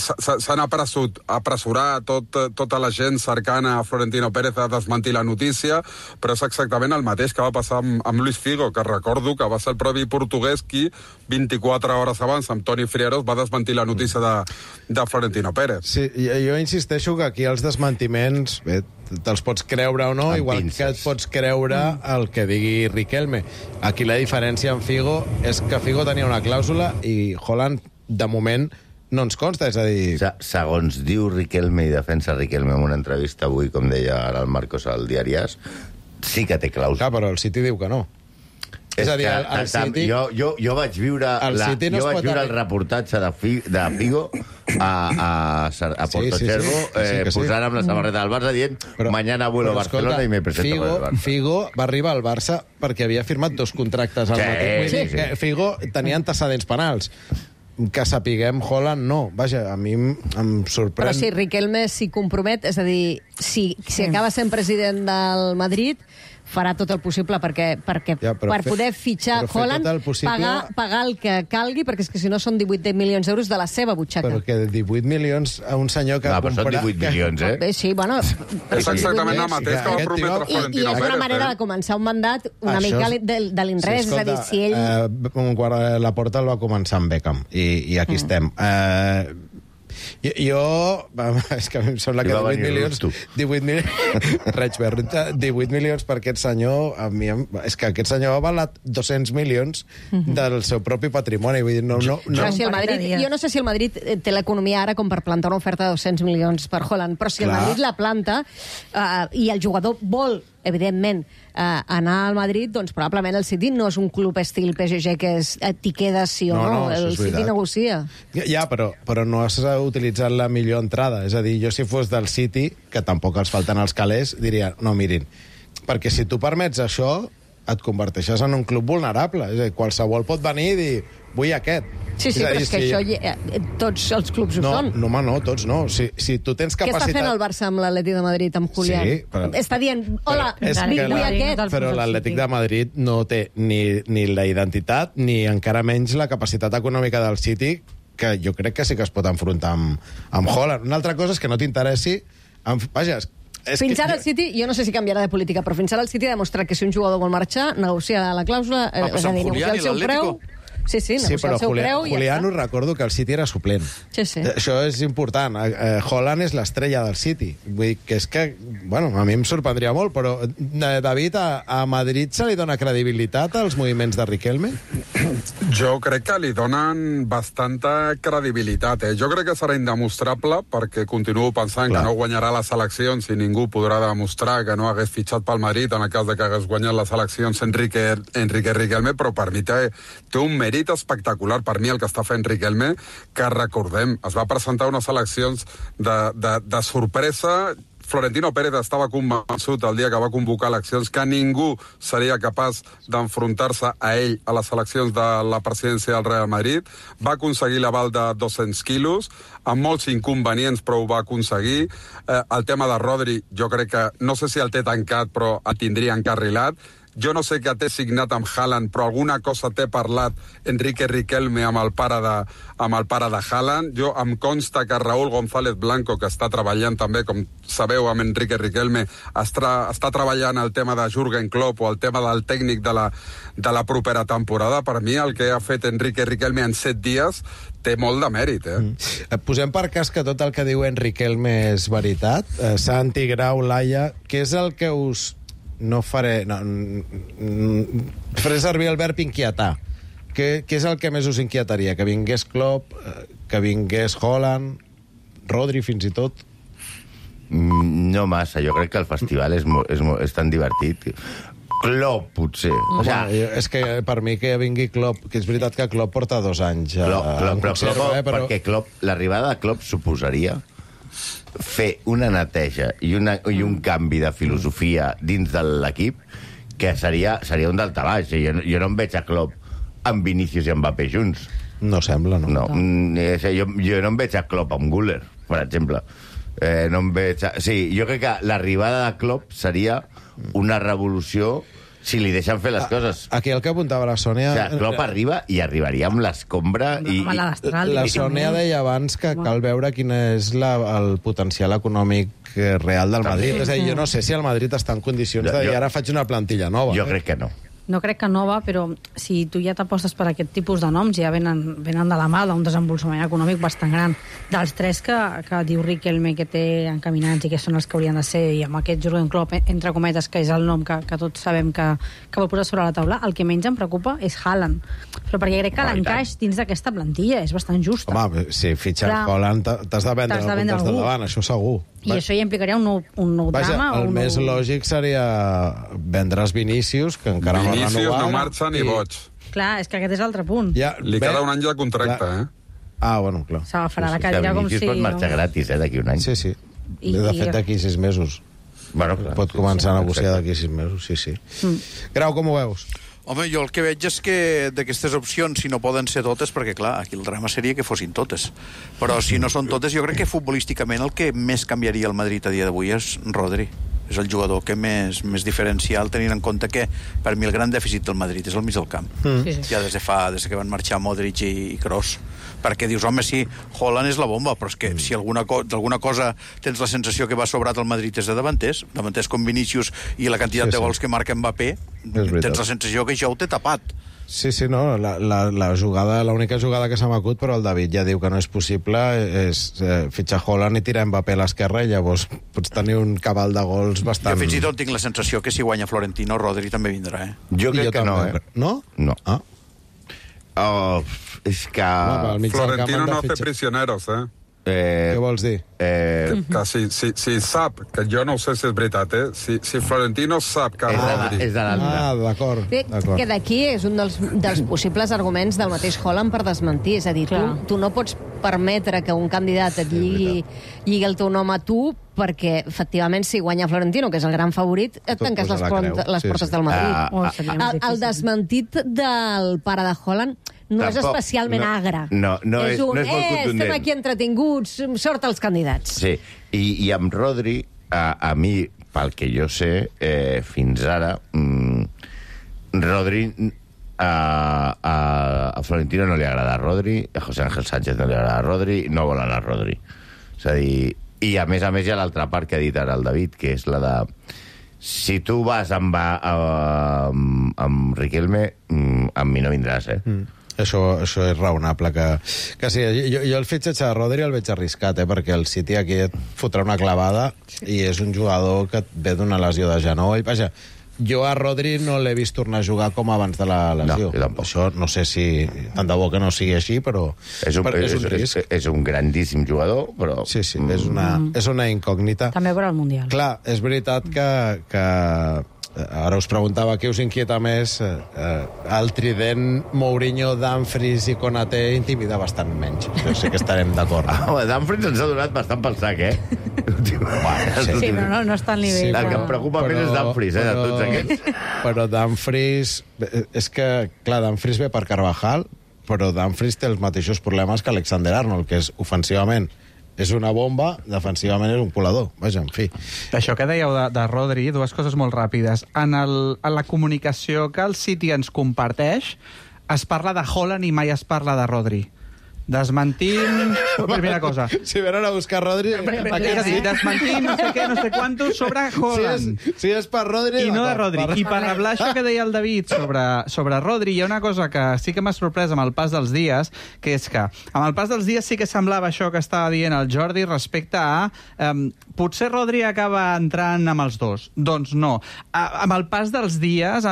s'han apressurat tota la gent cercana a Florentino Pérez a desmentir la notícia, però és exactament el mateix que va passar amb Luis Figo, que recordo que va ser el propi portuguès qui 24 hores abans amb Toni Frieros va desmentir la notícia de Florentino Pérez. Sí, jo insisteixo que aquí els desmentiments te'ls pots creure o no, igual que et pots creure el que digui Riquelme. Aquí la diferència amb Figo és que Figo tenia una clàusula i Haaland, de moment, no ens consta, és a dir... Segons diu Riquelme i defensa Riquelme en una entrevista avui, com deia ara el Marcos al diari AS, sí que té clàusula. Clar, però el City diu que no. És a dir, el City... Jo vaig viure el reportatge de Figo a Portocervo posant amb la samarreta del Barça dient mañana vuelo a Barcelona i me presento con el Barça. Figo va arribar al Barça perquè havia firmat 2 contractes al mateix. Figo tenia antecedents penals. Que sapiguem, Haaland no. Vaja, a mi em sorprèn... Però si Riquelme s'hi compromet, és a dir, si acaba sent president del Madrid, farà tot el possible per poder fitxar Haaland, pagar el que calgui, perquè és que si no són 18 milions d'euros de la seva butxaca. Però que 18 milions a un senyor que... No, però són 18 milions, eh? Sí, bueno... És exactament el mateix que va prometre Florentino Pérez. I és una manera de començar un mandat una mica de l'inrés, és a dir, si ell... La Porta el va començar amb Beckham, i aquí estem. Jo... És que a mi em sembla que 18 milions per aquest senyor... És que aquest senyor ha valat 200 milions del seu propi patrimoni. Vull dir, no. Jo no sé si el Madrid té l'economia ara com per plantar una oferta de 200 milions per Haaland, però si el Madrid la planta i el jugador vol, evidentment, anar al Madrid, doncs probablement el City no és un club estil PSG que és t'hi quedes sí o no. El City negocia. Ja, però no has utilitzat la millor entrada. És a dir, jo si fos del City, que tampoc els falten els calés, diria, no, mirin, perquè si tu permets això, et converteixes en un club vulnerable. És a dir, qualsevol pot venir i dir, vull aquest. Sí, però és que això tots els clubs ho són. No, home, no, tots no. Si tu tens capacitat... Què està fent el Barça amb l'Atlètic de Madrid, amb Julián? Sí, però... Està dient, hola, vull aquest. Però l'Atlètic de Madrid no té ni la identitat ni encara menys la capacitat econòmica del City, que jo crec que sí que es pot enfrontar amb Haaland. Una altra cosa és que no t'interessi... Vaja, fins ara el City, jo no sé si canviarà de política, però fins ara el City ha demostrat que si un jugador vol marxar, negocia la clàusula, és a dir, negocia el seu preu... Sí, negocia el seu preu i Julián, us recordo que el City era suplent. Sí. Això és important. Haaland és l'estrella del City. Vull dir que és que, bueno, a mi em sorprendria molt, però, David, a Madrid se li dona credibilitat als moviments de Riquelme? Jo crec que li donen bastanta credibilitat. Jo crec que serà indemostrable, perquè continuo pensant que no guanyarà les eleccions i ningú podrà demostrar que no hagués fitxat pel Madrid en el cas de que hagués guanyat les eleccions Enrique Riquelme, però per mi té un mèrit espectacular. Per mi el que està fent Riquelme, que recordem, es va presentar unes eleccions de sorpresa, Florentino Pérez estava convençut el dia que va convocar eleccions que ningú seria capaç d'enfrontar-se a ell a les eleccions de la presidència del Real Madrid. Va aconseguir l'aval de 200 quilos, amb molts inconvenients, però ho va aconseguir. El tema de Rodri, jo crec que, no sé si el té tancat, però el tindria encarrilat. Jo no sé què té signat amb Haaland, però alguna cosa té parlat Enrique Riquelme amb el pare de Haaland. Jo em consta que Raúl González Blanco, que està treballant també, com sabeu, amb Enrique Riquelme, està treballant el tema de Jürgen Klopp o el tema del tècnic de la propera temporada. Per mi, el que ha fet Enrique Riquelme en 7 dies té molt de mèrit, Posem per cas que tot el que diu Riquelme és veritat. Santi, Grau, Laia, què és el que us... No faré servir el verb inquietar. Què és el que més us inquietaria? Que vingués Klopp, que vingués Haaland, Rodri fins i tot? No massa, jo crec que el festival és tan divertit. Klopp, potser. És que per mi que vingui Klopp, que és veritat que Klopp porta 2 anys. Perquè l'arribada de Klopp suposaria fer una neteja i un canvi de filosofia dins de l'equip que seria un daltabaix. Jo no em veig a Klopp amb Vinícius i Mbappé junts. No sembla, no. Jo no em veig a Klopp amb Güler, per exemple. Sí, jo crec que l'arribada de Klopp seria una revolució si li deixen fer les coses. Aquí el que apuntava la Sònia... Klopp arriba i arribaria amb l'escombra i... La Sònia deia abans que cal veure quin és el potencial econòmic real del Madrid. És a dir, jo no sé si el Madrid està en condicions de dir ara faig una plantilla nova. Jo crec que no. No crec que nova, però si tu ja t'apostes per aquest tipus de noms, ja venen de la mà d'un desenvolupament econòmic bastant gran. Dels 3 que diu Riquelme que té encaminats i que són els que haurien de ser, i amb aquest Jürgen Klopp, entre cometes, que és el nom que tots sabem que vol posar sobre la taula, el que menys em preocupa és Haaland. Però perquè crec que l'encaix dins d'aquesta plantilla és bastant justa. Home, si fitxen Haaland t'has de vendre el punt del davant, això segur. I això ja implicaria un nou drama? El més lògic seria vendre's Vinícius, que encara no Vinícius no marxa ni boig. Clar, és que aquest és l'altre punt. Li queda un any de contracte, bueno, clar. S'agafarà la cadira com si... Vinícius pot marxar gratis, d'aquí un any. Sí. De fet, d'aquí 6 mesos. Pot començar a negociar d'aquí 6 mesos, sí. Grau, com ho veus? Home, jo el que veig és que d'aquestes opcions, si no poden ser totes, perquè clar, aquí el drama seria que fossin totes, però si no són totes, jo crec que futbolísticament el que més canviaria el Madrid a dia d'avui és Rodri. És el jugador que més diferencial, tenint en compte que per mi el gran dèficit del Madrid és el mig del camp. Ja des que van marxar Modric i Kroos. Perquè dius, home, sí, Haaland és la bomba, però és que si d'alguna cosa tens la sensació que va sobrat el Madrid és de davanters com Vinícius i la quantitat de gols que marca Mbappé, tens la sensació que això ho té tapat. Sí, no, l'única jugada que se m'acut, però el David ja diu que no és possible, és fitxar Haaland i tirar Mbappé a l'esquerra i llavors pots tenir un cabal de gols bastant... Jo fins i tot tinc la sensació que si guanya Florentino, Rodri també vindrà, Jo crec que no, No? No. És que... Florentino no té prisioneros, Què vols dir? Que si sap, que jo no sé si és veritat, si Florentino sap que Rodri... És de l'altre. D'acord. Que d'aquí és un dels possibles arguments del mateix Haaland per desmentir. És a dir, tu no pots permetre que un candidat et lligui el teu nom a tu perquè, efectivament, si guanya Florentino, que és el gran favorit, et tanques les portes del Madrid. El desmentit del pare de Haaland no és especialment agre. No és molt contundent. Estem aquí entretinguts, sort als candidats. Sí, i amb Rodri, a mi, pel que jo sé, fins ara, Rodri... A Florentino no li agrada Rodri, a José Ángel Sánchez no li agrada Rodri, no volen a Rodri. És a dir, i a més hi ha l'altra part que ha dit ara el David, que és la de... Si tu vas amb Riquelme, amb mi no vindràs, Això és raonable que sí. Jo el fitxatge de Rodri el veig arriscat, perquè el City aquí et fotrà una clavada i és un jugador que ve d'una lesió de genoll. Vaja, jo a Rodri no l'he vist tornar a jugar com abans de la lesió. Això no sé si... Tant de bo que no sigui així, però és un risc. És un grandíssim jugador, però... Sí, és una incògnita. També per al Mundial. Clar, és veritat que ara us preguntava què us inquieta més, el trident Mourinho, Dumfries i Konaté intimida bastant menys. Jo sé que estarem d'acord. Dumfries ens ha donat bastant pel sac, Sí, però no està al nivell. El que em preocupa més és Dumfries, de tots aquests. Però Dumfries... És que, clar, Dumfries ve per Carvajal, però Dumfries té els mateixos problemes que Alexander-Arnold, que és ofensivament és una bomba, defensivament és un colador. Vaja, en fi. Això que dèieu de Rodri, dues coses molt ràpides. En la comunicació que el City ens comparteix, es parla de Haaland i mai es parla de Rodri. Desmentint... Primera cosa. Si venen a buscar Rodri... Desmentint no sé què, no sé quantos sobre Haaland. Si és per Rodri... I no de Rodri. I per reblar això que deia el David sobre Rodri, hi ha una cosa que sí que m'ha sorprès amb el pas dels dies, que és que amb el pas dels dies sí que semblava això que estava dient el Jordi respecte a... potser Rodri acaba entrant amb els dos. Doncs no. Amb el pas dels dies,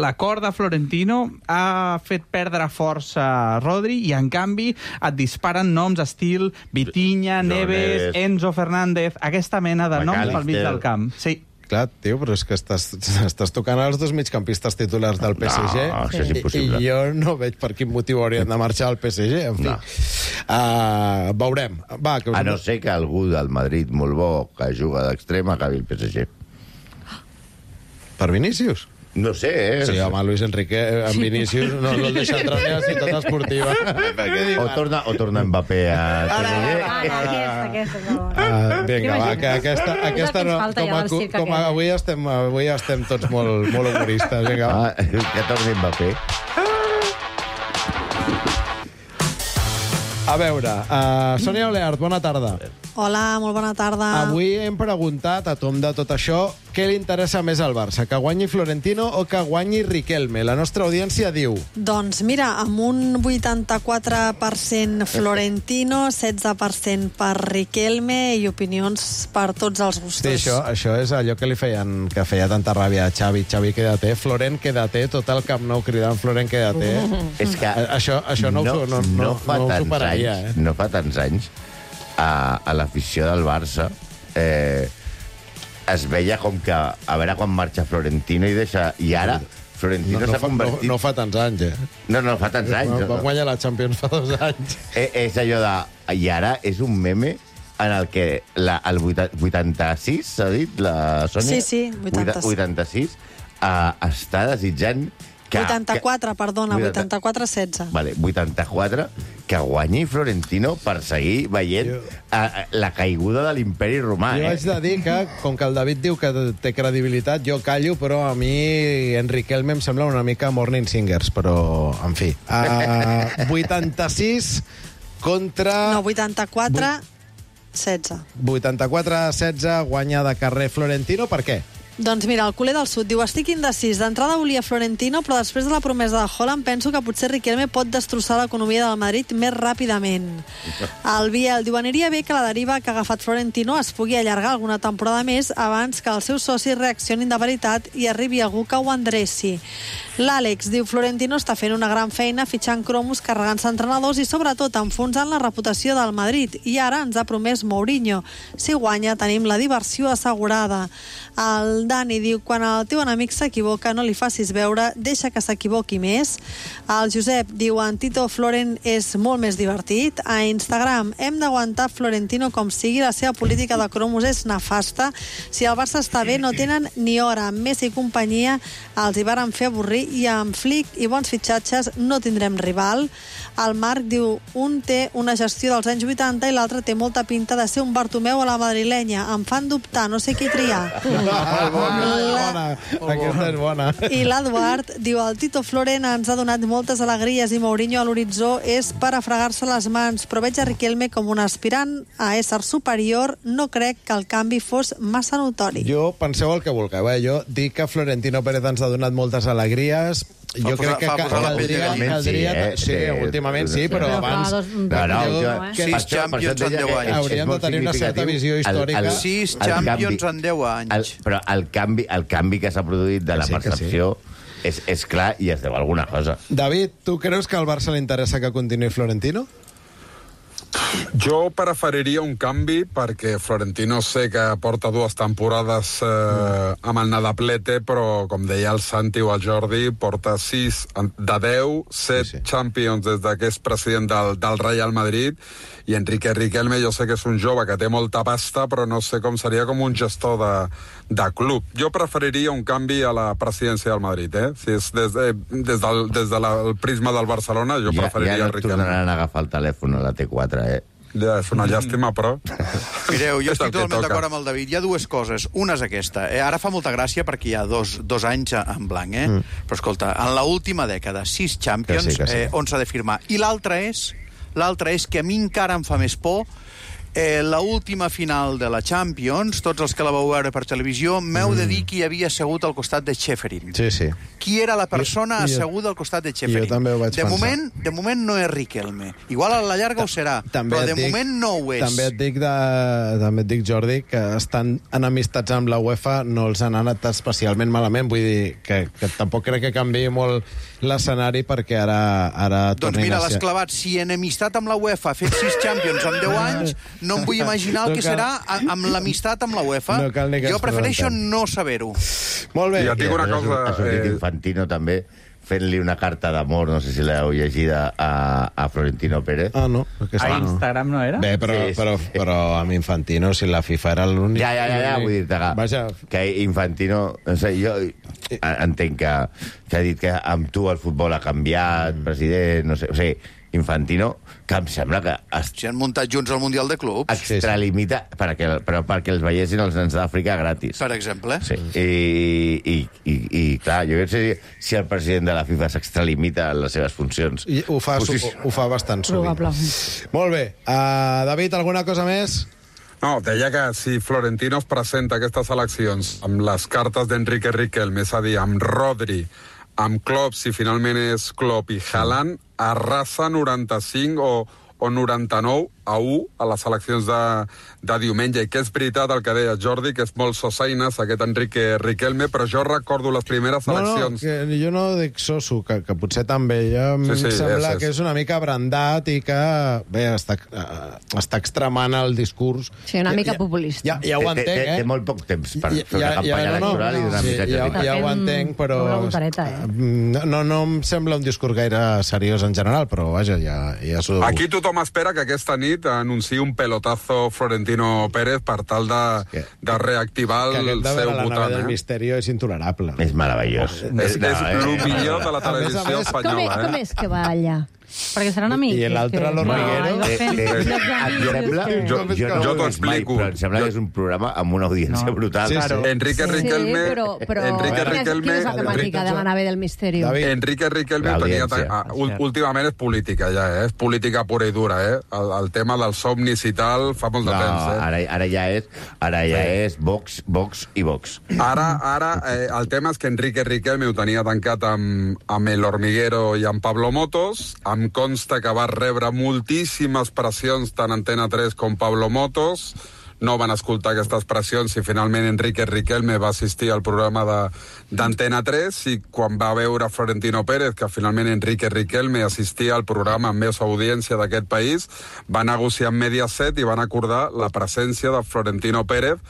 l'acord de Florentino ha fet perdre força a Rodri i, en canvi, et disparen noms estil Vitinha, Neves, Enzo Fernández, aquesta mena de noms pel mig del camp. Sí. Clar, tio, però és que estàs tocant els dos migcampistes titulars del PSG i jo no veig per quin motiu haurien de marxar al PSG, en fi. Veurem. A no ser que algú del Madrid molt bo que juga d'extrem acabi el PSG. Per Vinícius? No sé, Sí, home, Luis Enrique, en Vinícius, no el deixa entrar ni a la ciutat esportiva. O torna Mbappé a Aquesta. Vinga, va, que aquesta no... Com avui estem tots molt humoristes. Vinga, va. Que torni Mbappé. A veure, Sònia Oleart, bona tarda. Hola, molt bona tarda. Avui hem preguntat, a tom de tot això, què li interessa més al Barça, que guanyi Florentino o que guanyi Riquelme? La nostra audiència diu... Doncs mira, amb un 84% Florentino, 16% per Riquelme i opinions per tots els gustos. Sí, això és allò que feia tanta ràbia a Xavi. Xavi, quédate, Florent, quédate, tot el Camp Nou cridant Florent, quédate. És que això no ho superaria. No fa tants anys a l'afició del Barça es veia com que a veure quan marxa Florentino i ara Florentino s'ha convertit... No fa tants anys, No fa tants anys. Va guanyar la Champions fa 2 anys. És allò de... I ara és un meme en el que el 86, s'ha dit, la Sònia? Sí, 86 està desitjant... 84, perdona, 84-16. Vale, 84, que guanyi Florentino per seguir veient la caiguda de l'imperi romà. Jo haig de dir que, com que el David diu que té credibilitat, jo callo, però a mi Riquelme em sembla una mica Morning Singers, però, en fi. 86 contra... No, 84-16. 84-16, guanya de carrer Florentino, per què? Doncs mira, el culer del sud diu: estic indecís. D'entrada volia Florentino, però després de la promesa de Haaland penso que potser Riquelme pot destrossar l'economia del Madrid més ràpidament. El Biel diu: aniria bé que la deriva que ha agafat Florentino es pugui allargar alguna temporada més abans que els seus socis reaccionin de veritat i arribi algú que ho endreci. L'Àlex diu: Florentino està fent una gran feina fitxant cromos, carregant-se entrenadors i sobretot enfonsant la reputació del Madrid. I ara ens ha promès Mourinho. Si guanya tenim la diversió assegurada. El Dani diu: quan el teu enemic s'equivoca no li facis veure, deixa que s'equivoqui més. El Josep diu: en Tito Florent és molt més divertit. A Instagram: hem d'aguantar Florentino com sigui, la seva política de cromos és nefasta. Si el Barça està bé no tenen ni hora. Amb Messi i companyia els hi varen fer avorrir i amb Flick i bons fitxatges no tindrem rival. El Marc diu: un té una gestió dels anys 80 i l'altre té molta pinta de ser un Bartomeu a la madrilenya. Em fan dubtar, no sé qui triar. Aquesta és bona. I l'Eduard diu: el Tito Florent ens ha donat moltes alegries i Mourinho a l'horitzó és per a fregar-se les mans, però veig a Riquelme com un aspirant a ésser superior. No crec que el canvi fos massa notori. Jo penseu el que vulgueu, jo dic que Florentino Pérez ens ha donat moltes alegries. Jo crec que caldria... Sí, últimament sí, però abans... 6 Champions en 10 anys. Hauríem de tenir una certa visió històrica. 6 Champions en 10 anys. Però el canvi que s'ha produït de la percepció és clar i es deu a alguna cosa. David, tu creus que al Barça li interessa que continuï Florentino? Jo preferiria un canvi perquè Florentino sé que porta 2 temporades amb el Nadaplete, però com deia el Santi o el Jordi, porta 6 de 10, 7 Champions des que és president del Real Madrid, i Enrique Riquelme jo sé que és un jove que té molta pasta, però no sé com seria com un gestor de club. Jo preferiria un canvi a la presidència del Madrid, Si és des del prisma del Barcelona, jo preferiria el Riquelme. Ja no tornaran a agafar el telèfon a la T4, Ja, és una llàstima, però... Mireu, jo estic totalment d'acord amb el David. Hi ha 2 coses. Una és aquesta. Ara fa molta gràcia perquè hi ha dos anys en blanc, Però escolta, en l'última dècada, 6 Champions, on s'ha de firmar. I l'altra és que a mi encara em fa més por la última final de la Champions, tots els que la vau veure per televisió, m'heu de dir qui havia assegut al costat de Schäferin. Sí. Qui era la persona asseguda al costat de Schäferin? Jo també ho vaig pensar. De moment no és Riquelme. Igual a la llarga ho serà, però de moment no ho és. També et dic, Jordi, que estan enemistats amb la UEFA, no els han anat especialment malament. Vull dir que tampoc crec que canviï molt l'escenari perquè ara doncs mira, l'has clavat. Si enemistat amb la UEFA ha fet 6 Champions en 10 anys, no em vull imaginar el que serà amb l'amistat amb la UEFA. Jo prefereixo no saber-ho. Molt bé. Ja tinc una cosa... Ha sortit Infantino també fent-li una carta d'amor, no sé si l'heu llegida, a Florentino Pérez. No. A Instagram no era? Bé, però amb Infantino, si la FIFA era l'únic... Ja, vull dir que Infantino... No sé, jo entenc que ha dit que amb tu el futbol ha canviat, president, no sé... O sigui, Infantino, que em sembla que... Si han muntat junts el Mundial de Clubs. Extralimita, però perquè els veiessin els nens d'Àfrica gratis. Per exemple. Sí. I clar, jo crec que si el president de la FIFA s'extralimita en les seves funcions... I ho fa bastant sovint. Molt bé. David, alguna cosa més? No, deia que si Florentino es presenta a aquestes eleccions amb les cartes d'Enrique Riquelme, és a dir, amb Rodri, amb Klopp, si finalment és Klopp i Haaland, arrasa 95 o 99 a 1 a les eleccions de diumenge. I que és veritat el que deia Jordi, que és molt sosaines aquest Enrique Riquelme, però jo recordo les primeres eleccions... Que jo no dic soso, que potser també. Em sembla que és una mica brandat i que, bé, està extremant el discurs. Sí, una mica populista. Ja ho entenc, Té molt poc temps per fer una campanya electoral i donar missatges. Ja ho entenc, però no em sembla un discurs gaire seriós en general, però vaja, ja s'ho... Aquí tothom espera que aquesta nit anunciï un pelotazo Florentino Pérez per tal de reactivar el seu votant. La nave del Misterio és intolerable. És meravellós. És el millor de la televisió espanyola. Com és que va allà? Perquè seran amics. I l'altre, l'Hormiguero. Jo t'ho explico. Però em sembla que és un programa amb una audiència brutal. Enrique Riquelme... Quina és la temàtica de la nave del Misterio? Enrique Riquelme tenia... Últimament és política, ja, és política pura i dura, el tema dels somnis i tal fa molt de temps, Ara ja és Vox i Vox. Ara el tema és que Enrique Riquelme ho tenia tancat amb el Hormiguero i amb Pablo Motos. Em consta que va rebre moltíssimes pressions tant Antena 3 com Pablo Motos. No van escoltar aquestes pressions i finalment Enrique Riquelme va assistir al programa d'Antena 3 i quan va veure Florentino Pérez que finalment Enrique Riquelme assistia al programa amb més audiència d'aquest país, va negociar amb Mediaset i van acordar la presència de Florentino Pérez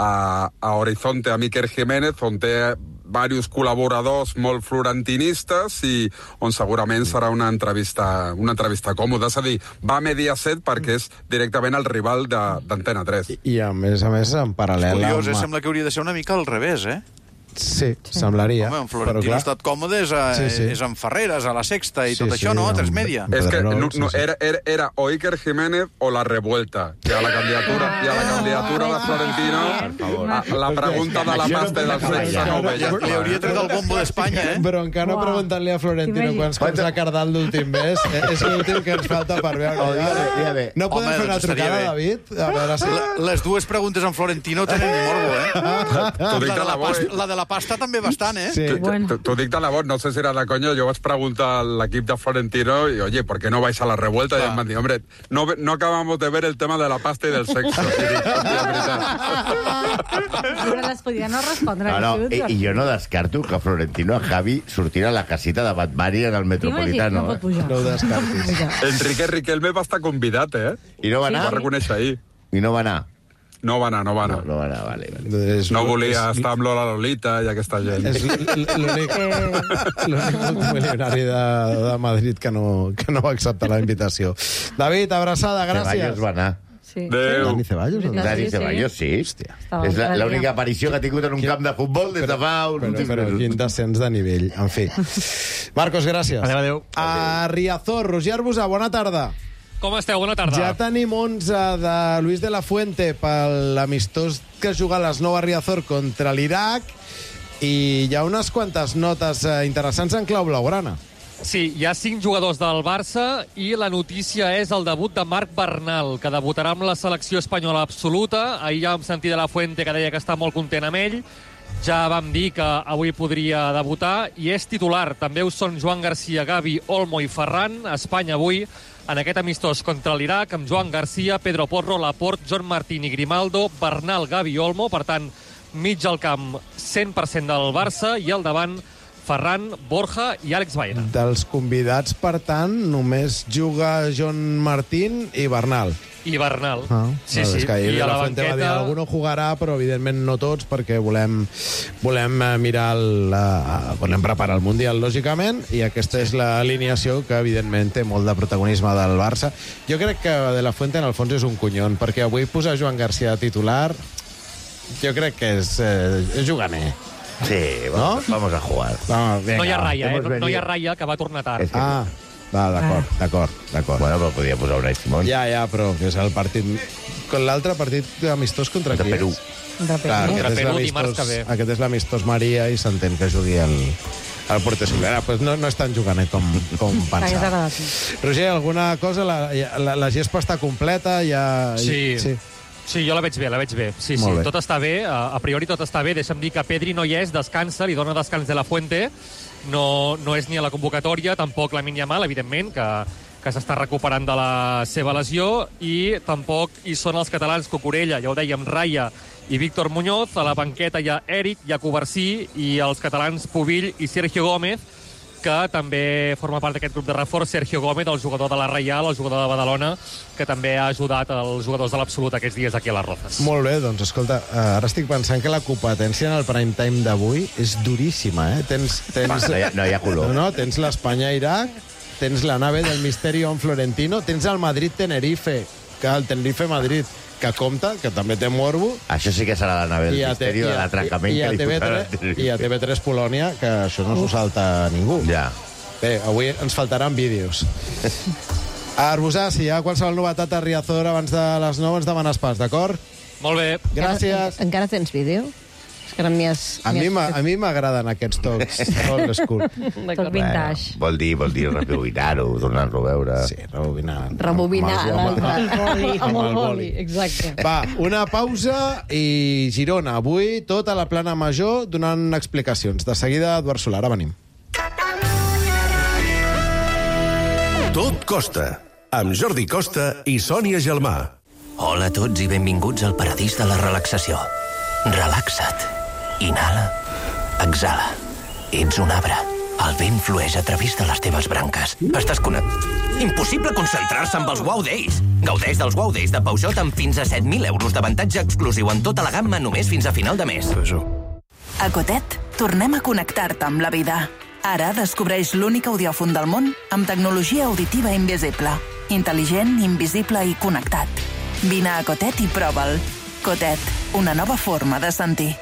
a Horizonte, a Iker Jiménez, on té diversos col·laboradors molt florentinistes i on segurament serà una entrevista còmoda. És a dir, va a Mediaset perquè és directament el rival d'Antena 3. I a més, en paral·lel... És curiós, sembla que hauria de ser una mica al revés, Sí, semblaria. Home, en Florentino ha estat còmode és en Ferreres, a la Sexta i tot això, no? A 3 Media. És que era o Iker Jiménez o la revuelta. I a la candidatura de Florentino, la pregunta de la pasta i del sexe no ho veia. Li hauria tret el bombo d'Espanya, Però encara no preguntant-li a Florentino quants cops ha cardat l'últim mes. És l'últim que ens falta per veure. No podem fer una trucada, David? Les dues preguntes en Florentino tenen morbo, T'ho dic de la La de la pasta també bastant, Sí. T'ho dic de la voz, no sé si era de conya, jo vaig preguntar a l'equip de Florentino y, oye, ¿por qué no vais a la revuelta? Y em van dir, hombre, no acabamos de ver el tema de la pasta y del sexo. Però les podia no respondre. I jo no descarto que Florentino a Javi sortirà a la casita de Batmari en el Metropolitano. No pot pujar. No ho descartis. Enrique Riquelme va estar convidat, I no va anar? Ho va reconèixer ahí. I no va anar? No va anar. No va anar, vale. No volia estar amb Lola Lolita i aquesta gent. És l'únic multimilionari de Madrid que no va acceptar la invitació. David, abraçada, gràcies. Ceballos va anar. Sí. Dani Ceballos? Dani Ceballos, sí. Hòstia. És l'única aparició que ha tingut en un camp de futbol des de fa uns Però quin descens de nivell. En fi. Marcos, gràcies. Adéu. A Riazor, Roger Arbusà, bona tarda. Com esteu? Bona tarda. Ja tenim 11 de Luis de la Fuente per l'amistós que juga a les 9 a Riazor contra l'Iraq i hi ha unes quantes notes interessants en clau blaugrana. Sí, hi ha 5 jugadors del Barça i la notícia és el debut de Marc Bernal, que debutarà amb la selecció espanyola absoluta. Ahir ja vam sentir de la Fuente que deia que està molt content amb ell. Ja vam dir que avui podria debutar i és titular. També ho són Joan Garcia, Gavi, Olmo i Ferran. Espanya avui en aquest amistós contra l'Iraq amb Joan Garcia, Pedro Porro, Laporte, John Martín i Grimaldo, Bernal, Gavi i Olmo. Per tant, mig al camp 100% del Barça i al davant Ferran, Borja i Àlex Baena. Dels convidats, per tant, només juga John Martín i Bernal. I Bernal. Sí. És que ahir I a la Fuente banqueta... va dir, algú no jugarà, però evidentment no tots, perquè volem mirar volem preparar el Mundial, lògicament, i aquesta és l'alineació que, evidentment, té molt de protagonisme del Barça. Jo crec que de la Fuente, en el fons, és un conyon, perquè avui posar Joan Garcia titular, jo crec que és juganer. Sí, vamos a jugar. No hi ha Raya, no hi ha Raya, que va tornar tard. D'acord. Bueno, però podia posar Unai Simón. Ja, però que és el partit... L'altre partit amistós contra qui Perú. Contra Perú dimarts que ve. Aquest és l'amistós Maria i s'entén que jugui el Puerto Solera. Pues no és tan juganer com pensava. Roger, alguna cosa? La gespa està completa? Sí, jo la veig bé. Sí, tot està bé. A priori tot està bé. Deixa'm dir que Pedri no hi és, descansa, li dona descans de la Fuente. No és ni a la convocatòria, tampoc Lamine Yamal, evidentment, que s'està recuperant de la seva lesió, i tampoc hi són els catalans Cucurella, ja ho dèiem, Raya i Víctor Muñoz. A la banqueta hi ha Eric, hi ha Covarsí, i els catalans Pubill i Sergio Gómez, que també forma part d'aquest grup de reforç. Sergio Gómez, el jugador de la Reial, el jugador de Badalona, que també ha ajudat els jugadors de l'Absolut aquests dies aquí a les Rozas. Molt bé, doncs escolta, ara estic pensant que la competència en el prime time d'avui és duríssima, No hi ha color. No, tens l'Espanya-Iraq, tens la nave del Misterio en Florentino, tens el Madrid-Tenerife, que el Tenerife-Madrid, que compta, que també té morbo. Això sí que serà la nave del Misterio, de l'atracament que li posarà. I a TV3 Polònia, que això no s'ho salta ningú. Ja. Bé, avui ens faltaran vídeos. Arbusà, si hi ha qualsevol novetat a Riazor abans de les 9, ens demanes pas, d'acord? Molt bé. Gràcies. Encara tens vídeo? Que no a mi m'agraden aquests tocs old school. Toc vintage. Vol dir rebobinar-ho, donar-lo a veure. Sí, rebobinar. Amb el boli, exacte. Va, una pausa i Girona. Avui tot a la plana major donant explicacions. De seguida, Eduard Solà, ara venim. Tot costa, amb Jordi Costa i Sònia Gelmà. Hola a tots i benvinguts al paradís de la relaxació. Relaxa't. Inhala. Exhala. Ets un arbre. El vent flueix a través de les teves branques. Estàs Impossible concentrar-se amb els Wow Days. Gaudeix dels Wow Days de Peugeot amb fins a 7.000 euros d'avantatge exclusiu en tota la gamma només fins a final de mes. A Cotet, tornem a connectar-te amb la vida. Ara descobreix l'únic audiòfon del món amb tecnologia auditiva invisible. Intel·ligent, invisible i connectat. Vine a Cotet i prova'l. Cotet, una nova forma de sentir.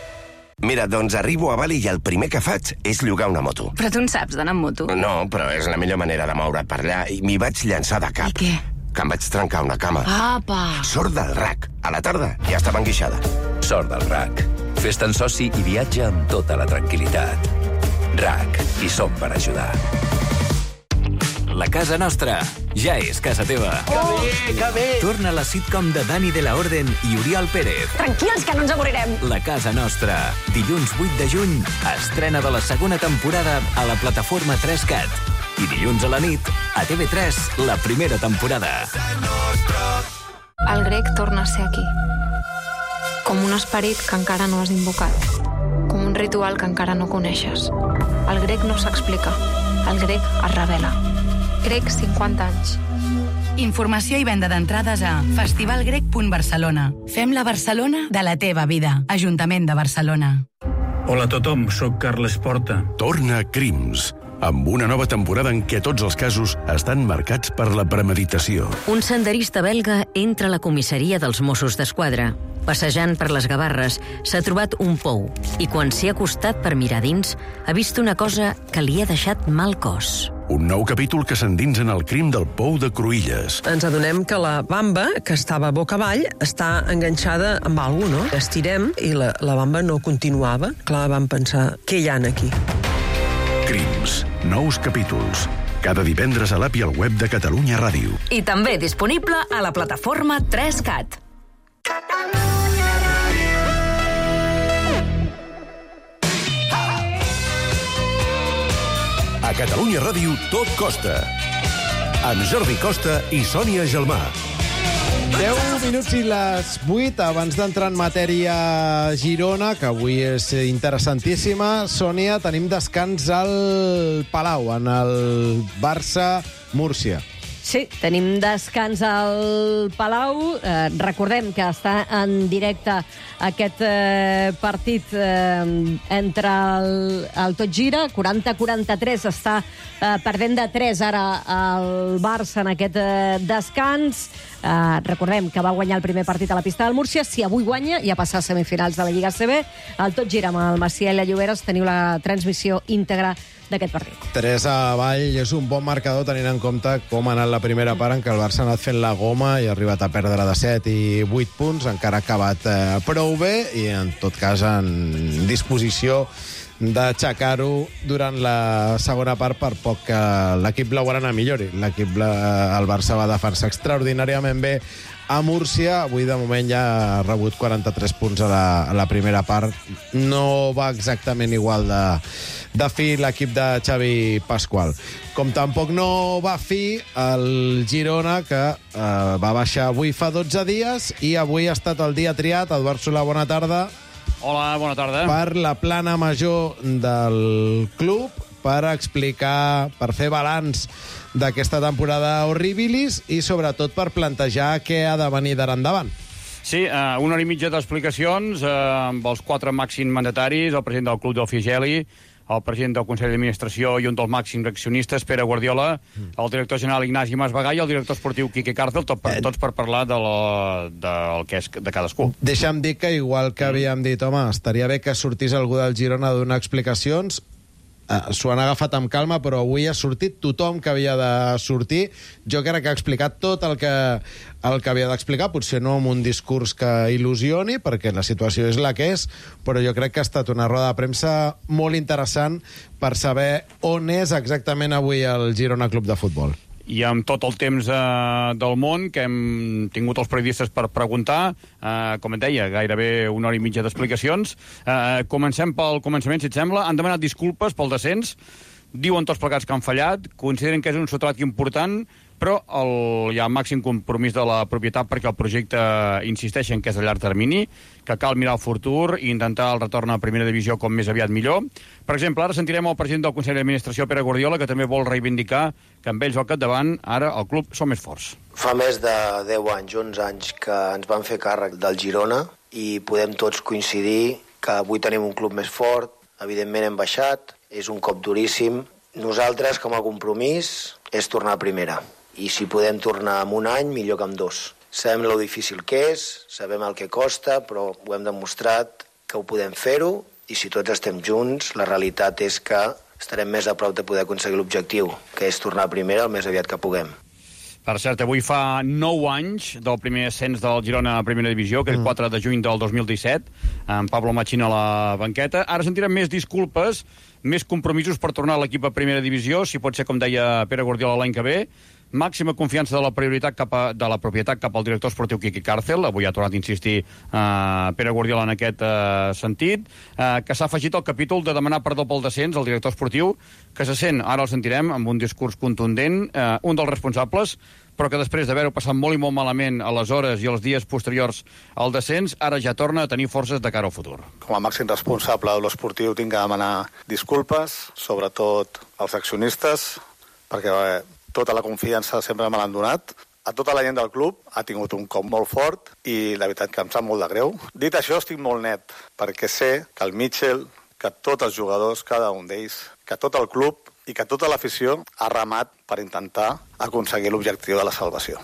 Mira, doncs arribo a Bali i el primer que faig és llogar una moto. Però tu en saps d'anar amb moto? No, però és la millor manera de moure't per allà i m'hi vaig llançar de cap. I què? Que em vaig trencar una cama. Apa! Sort del RAC. A la tarda ja estava enguixada. Sort del RAC. Fes-te'n soci i viatja amb tota la tranquil·litat. RAC. Hi som per ajudar. La casa nostra ja és casa teva. Que bé! Torna la sitcom de Dani de la Orden i Oriol Pérez. Tranquils, que no ens avorrirem. La casa nostra. Dilluns 8 de juny, estrena de la segona temporada a la plataforma 3CAT. I dilluns a la nit, a TV3, la primera temporada. El grec torna a ser aquí. Com un esperit que encara no has invocat. Com un ritual que encara no coneixes. El grec no s'explica. El grec es revela. Grec 50 anys. Informació i venda d'entrades a festivalgrec.barcelona. Fem la Barcelona de la teva vida. Ajuntament de Barcelona. Hola a tothom, sóc Carles Porta. Torna Crims, amb una nova temporada en què tots els casos estan marcats per la premeditació. Un senderista belga entra a la comissaria dels Mossos d'Esquadra. Passejant per les Gavarres, s'ha trobat un pou i quan s'hi ha acostat per mirar dins, ha vist una cosa que li ha deixat mal cos. Un nou capítol que s'endinsa en el crim del pou de Cruïlles. Ens adonem que la bamba, que estava boca avall, està enganxada amb alguna cosa, no? Estirem i la bamba no continuava. Clar, vam pensar, què hi ha aquí? Crims, nous capítols. Cada divendres a l'app i al web de Catalunya Ràdio. I també disponible a la plataforma 3CAT. A Catalunya Ràdio tot costa. Amb Jordi Costa i Sònia Gelmà. 10 minuts i les 8, abans d'entrar en matèria Girona, que avui és interessantíssima. Sònia, tenim descans al Palau, en el Barça-Múrcia. Sí, tenim descans al Palau. Recordem que està en directe aquest partit entre el Tot Gira. 40-43 està perdent de 3 ara el Barça en aquest descans. Recordem que va guanyar el primer partit a la pista del Múrcia. Si avui guanya, ja passa a semifinals de la Lliga ACB. El Tot Gira amb el Macià i la Lloberes teniu la transmissió íntegra d'aquest partit. 3 avall és un bon marcador tenint en compte com ha anat la primera part en què el Barça ha anat fent la goma i ha arribat a perdre de 7 i 8 punts, encara ha acabat prou bé i en tot cas en disposició d'aixecar-ho durant la segona part per poc que l'equip blaugrana millori. El Barça va defensar extraordinàriament bé a Múrcia. Avui, de moment, ja ha rebut 43 punts a la primera part. No va exactament igual de fi l'equip de Xavi Pasqual. Com tampoc no va fi el Girona, que va baixar avui fa 12 dies i avui ha estat el dia triat. Eduard Solà, bona tarda. Hola, bona tarda. Per la plana major del club, per explicar, per fer balanç d'aquesta temporada horribilis i sobretot per plantejar què ha de venir d'ara endavant. Sí, 1 hora i mitja d'explicacions amb els 4 màxims mandataris, el president del club del Figeli, el president del Consell d'Administració i un dels màxims accionistes, Pere Guardiola, el director general Ignasi Masvegà i el director esportiu Quique Cárcel, tots per parlar del que és de cadascú. Deixa'm dir que, igual que havíem dit, home, estaria bé que sortís algú del Girona a donar explicacions. S'ho han agafat amb calma, però avui ha sortit tothom que havia de sortir. Jo crec que ha explicat tot el que havia d'explicar, potser no amb un discurs que il·lusioni, perquè la situació és la que és, però jo crec que ha estat una roda de premsa molt interessant per saber on és exactament avui el Girona Club de Futbol. I amb tot el temps del món que hem tingut els periodistes per preguntar, com et deia, gairebé 1 hora i mitja d'explicacions. Comencem pel començament, si et sembla. Han demanat disculpes pel descens, diuen tots plegats que han fallat, consideren que és un sotrac important, però hi ha màxim compromís de la propietat perquè el projecte insisteixen que és a llarg termini, que cal mirar el futur i intentar el retorn a primera divisió com més aviat millor. Per exemple, ara sentirem el president del Consell d'Administració, Pere Guardiola, que també vol reivindicar que amb ells al capdavant ara el club som més forts. Fa més de 10 anys, 11 anys, que ens van fer càrrec del Girona i podem tots coincidir que avui tenim un club més fort, evidentment hem baixat, és un cop duríssim. Nosaltres, com a compromís, és tornar a primera. I si podem tornar en un any, millor que en 2. Sabem lo difícil que és, sabem el que costa, però ho hem demostrat que ho podem fer-ho, i si tots estem junts, la realitat és que estarem més a prop de poder aconseguir l'objectiu, que és tornar a primera el més aviat que puguem. Per cert, avui fa 9 anys del primer ascens del Girona a Primera Divisió, aquell 4 de juny del 2017, amb Pablo Machín a la banqueta. Ara sentirem més disculpes, més compromisos per tornar a l'equip a Primera Divisió, si pot ser, com deia Pere Guardiola, l'any que ve. Màxima confiança de la propietat cap al director esportiu Quique Cárcel. Avui ha tornat a insistir Pere Guardiola en aquest sentit, que s'ha afegit al capítol de demanar perdó pel descens al director esportiu, que se sent, ara el sentirem, amb un discurs contundent, un dels responsables, però que després d'haver-ho passat molt i molt malament a les hores i els dies posteriors al descens, ara ja torna a tenir forces de cara al futur. Com a màxim responsable de l'esportiu tinc que demanar disculpes, sobretot als accionistes, perquè tota la confiança sempre me l'han donat. A tota la gent del club ha tingut un cop molt fort i la veritat que em sap molt de greu. Dit això, estic molt net, perquè sé que el Mitchell, que tots els jugadors, cada un d'ells, que tot el club i que tota l'afició ha remat per intentar aconseguir l'objectiu de la salvació.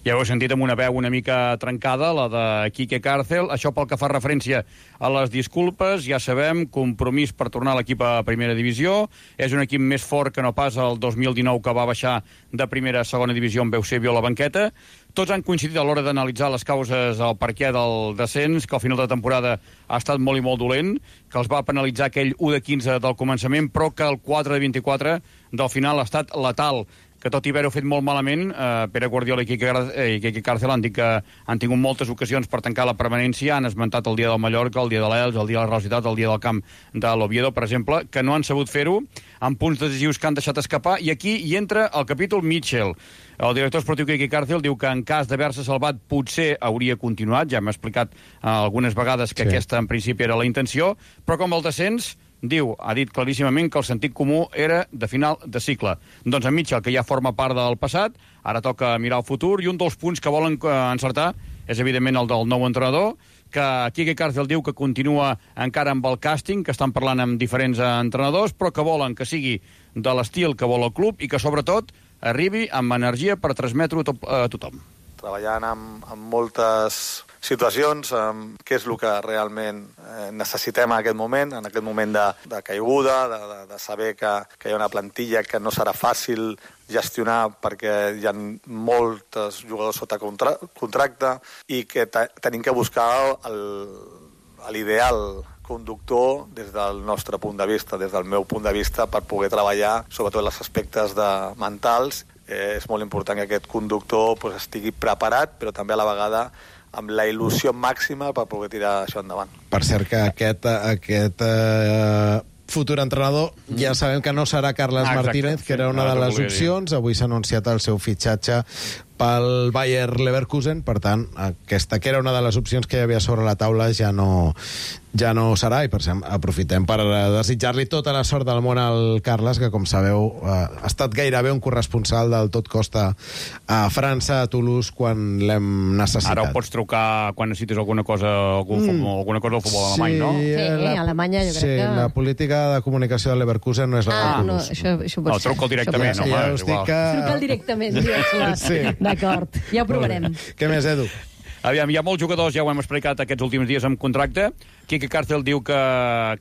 Ja ho heu sentit amb una veu una mica trencada, la de Quique Cárcel. Això pel que fa referència a les disculpes, ja sabem, compromís per tornar a l'equip a Primera Divisió. És un equip més fort que no pas el 2019, que va baixar de Primera a Segona Divisió amb Eusebio a la banqueta. Tots han coincidit a l'hora d'analitzar les causes, el perquè del descens, que al final de temporada ha estat molt i molt dolent, que els va penalitzar aquell 1 de 15 del començament, però que el 4 de 24 del final ha estat letal, que tot i haver-ho fet molt malament, Pere Guardiola i Quique Cárcel han dit que han tingut moltes ocasions per tancar la permanència, han esmentat el dia del Mallorca, el dia de l'Elx, el dia de la Real Societat, el dia del camp de l'Oviedo, per exemple, que no han sabut fer-ho, amb punts decisius que han deixat escapar, i aquí hi entra el capítol Mitchell. El director esportiu Quique Cárcel diu que en cas d'haver-se salvat potser hauria continuat, ja m'ha explicat algunes vegades que aquesta en principi era la intenció, però com el descens, diu, ha dit claríssimament que el sentit comú era de final de cicle. Doncs en Mitchell, que ja forma part del passat, ara toca mirar el futur, i un dels punts que volen encertar és evidentment el del nou entrenador, que Quique Cárcel diu que continua encara amb el càsting, que estan parlant amb diferents entrenadors, però que volen que sigui de l'estil que vol el club i que sobretot arribi amb energia per transmetre-ho a tothom. Treballant amb moltes situacions, què és el que realment necessitem en aquest moment de caiguda, de saber que hi ha una plantilla que no serà fàcil gestionar perquè hi ha molts jugadors sota contracte i que tenim que buscar l'ideal conductor des del nostre punt de vista, des del meu punt de vista, per poder treballar sobretot els aspectes mentals. És molt important que aquest conductor estigui preparat, però també a la vegada amb la il·lusió màxima per poder tirar això endavant. Per cert que aquest futur entrenador ja sabem que no serà Carles Martínez, que era una de les opcions. Avui s'ha anunciat el seu fitxatge pel Bayer Leverkusen, per tant, aquesta que era una de les opcions que hi havia sobre la taula ja no serà, i per cert, aprofitem per desitjar-li tota la sort del món al Carles, que com sabeu ha estat gairebé un corresponsal del Tot Costa a França, a Toulouse, quan l'hem necessitat. Ara ho pots trucar quan necessites alguna cosa alguna cosa del futbol alemany, no? Sí, a Alemanya jo crec que... Sí, la política de comunicació de Leverkusen no és la de Toulouse. No, això pot ser. Truca'l directament, home, és igual. Truca'l directament, sí. D'acord, ja ho provarem. Què més, Edu? Aviam, hi ha molts jugadors, ja ho hem explicat aquests últims dies amb contracte. Quique Cárcel diu que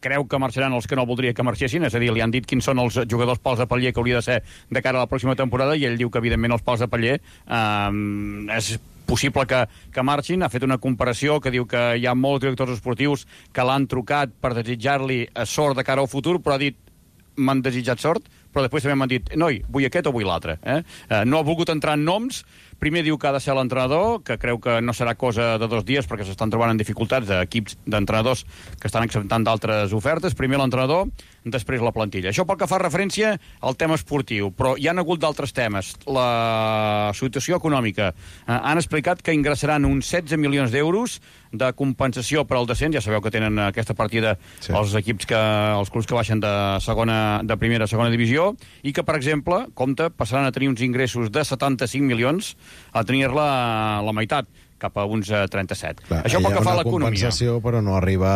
creu que marxaran els que no voldria que marxessin, és a dir, li han dit quins són els jugadors pals de paller que hauria de ser de cara a la pròxima temporada, i ell diu que, evidentment, els pals de paller és possible que marxin. Ha fet una comparació que diu que hi ha molts directors esportius que l'han trucat per desitjar-li sort de cara al futur, però ha dit m'han desitjat sort, però després també m'han dit noi, vull aquest o vull l'altre. No ha volgut entrar en noms. Primer diu que ha de ser l'entrenador, que creu que no serà cosa de 2 dies perquè s'estan trobant en dificultats d'equips d'entrenadors que estan acceptant d'altres ofertes. Primer l'entrenador, després la plantilla. Això pel que fa referència al tema esportiu, però hi ha hagut d'altres temes. La situació econòmica. Han explicat que ingressaran uns 16 milions d'euros de compensació per al descens. Ja sabeu que tenen aquesta partida els equips els clubs que baixen de primera a segona divisió, i que, per exemple, passaran a tenir uns ingressos de 75 milions a tenir-la la meitat, cap a uns 37. Clar, això pel que fa a l'economia. Hi ha una compensació, però no arriba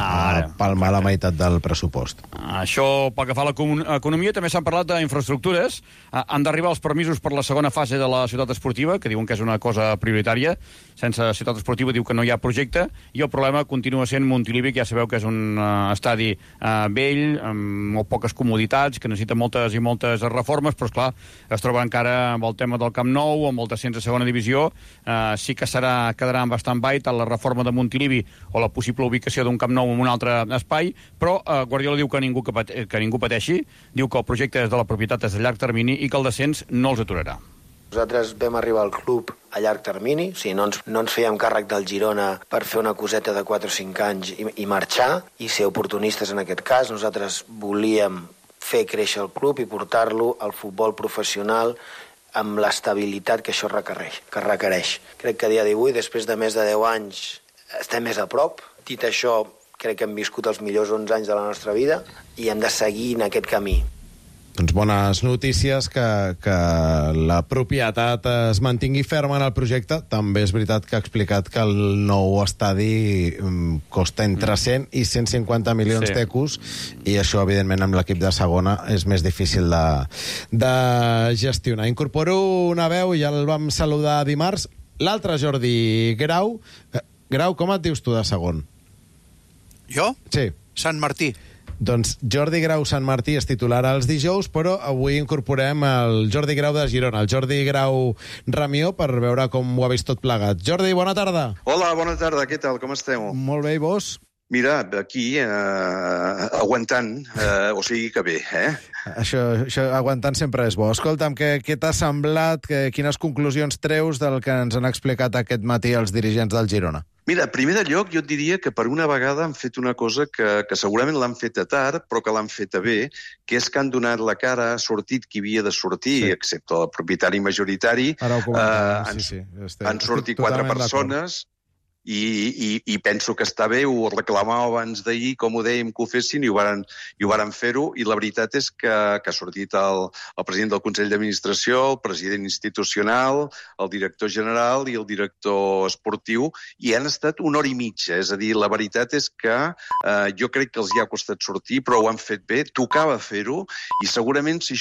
a palmar la meitat del pressupost. Això pel que fa a l'economia, també s'han parlat d'infraestructures. Han d'arribar els permisos per la segona fase de la ciutat esportiva, que diuen que és una cosa prioritària. Sense ciutat esportiva diu que no hi ha projecte, i el problema continua sent Montilivi, que ja sabeu que és un estadi vell, amb molt poques comoditats, que necessita moltes i moltes reformes, però, esclar, es troba encara amb el tema del Camp Nou, amb el descens a segona divisió. Sí que quedarà en stand-by tant la reforma de Montilivi o la possible ubicació d'un Camp Nou en un altre espai, però Guardiola diu que ningú pateixi, diu que el projecte és de la propietat, és de llarg termini i que el descens no els aturarà. Nosaltres vam arribar al club a llarg termini, o sigui, no ens fèiem càrrec del Girona per fer una coseta de 4 o 5 anys i marxar, i ser oportunistes en aquest cas. Nosaltres volíem fer créixer el club i portar-lo al futbol professional amb l'estabilitat que això requereix. Crec que a dia d'avui, després de més de 10 anys, estem més a prop. Dit això, crec que hem viscut els millors 11 anys de la nostra vida i hem de seguir en aquest camí. Doncs bones notícies que la propietat es mantingui ferma en el projecte. També és veritat que ha explicat que el nou estadi costa entre 100 i 150 milions d'euros, i això, evidentment, amb l'equip de segona és més difícil de gestionar. Incorporo una veu, ja el vam saludar dimarts, l'altre Jordi Grau. Grau, com et dius tu de segon? Jo? Sí. Sant Martí. Doncs Jordi Grau Sant Martí és titular els dijous, però avui incorporem el Jordi Grau de Girona, el Jordi Grau Ramió, per veure com ho ha vist tot plegat. Jordi, bona tarda. Hola, bona tarda, què tal, com esteu? Molt bé, i vos? Mira, aquí, aguantant, o sigui que bé, Això aguantant sempre és bo. Escolta'm, què t'ha semblat, quines conclusions treus del que ens han explicat aquest matí els dirigents del Girona? Mira, primer de lloc, jo et diria que per una vegada han fet una cosa que segurament l'han feta tard, però que l'han feta bé, que és que han donat la cara, ha sortit qui havia de sortir, excepte el propietari majoritari. Ara ho comentem, han sortit 4 persones, i penso que està bé, ho reclamava abans d'ahir, com ho dèiem que ho fessin, i ho varen fer-ho, i la veritat és que ha sortit el president del Consell d'Administració, el president institucional, el director general i el director esportiu, i han estat 1 hora i mitja, és a dir, la veritat és que jo crec que els hi ha costat sortir, però ho han fet bé, tocava fer-ho, i segurament si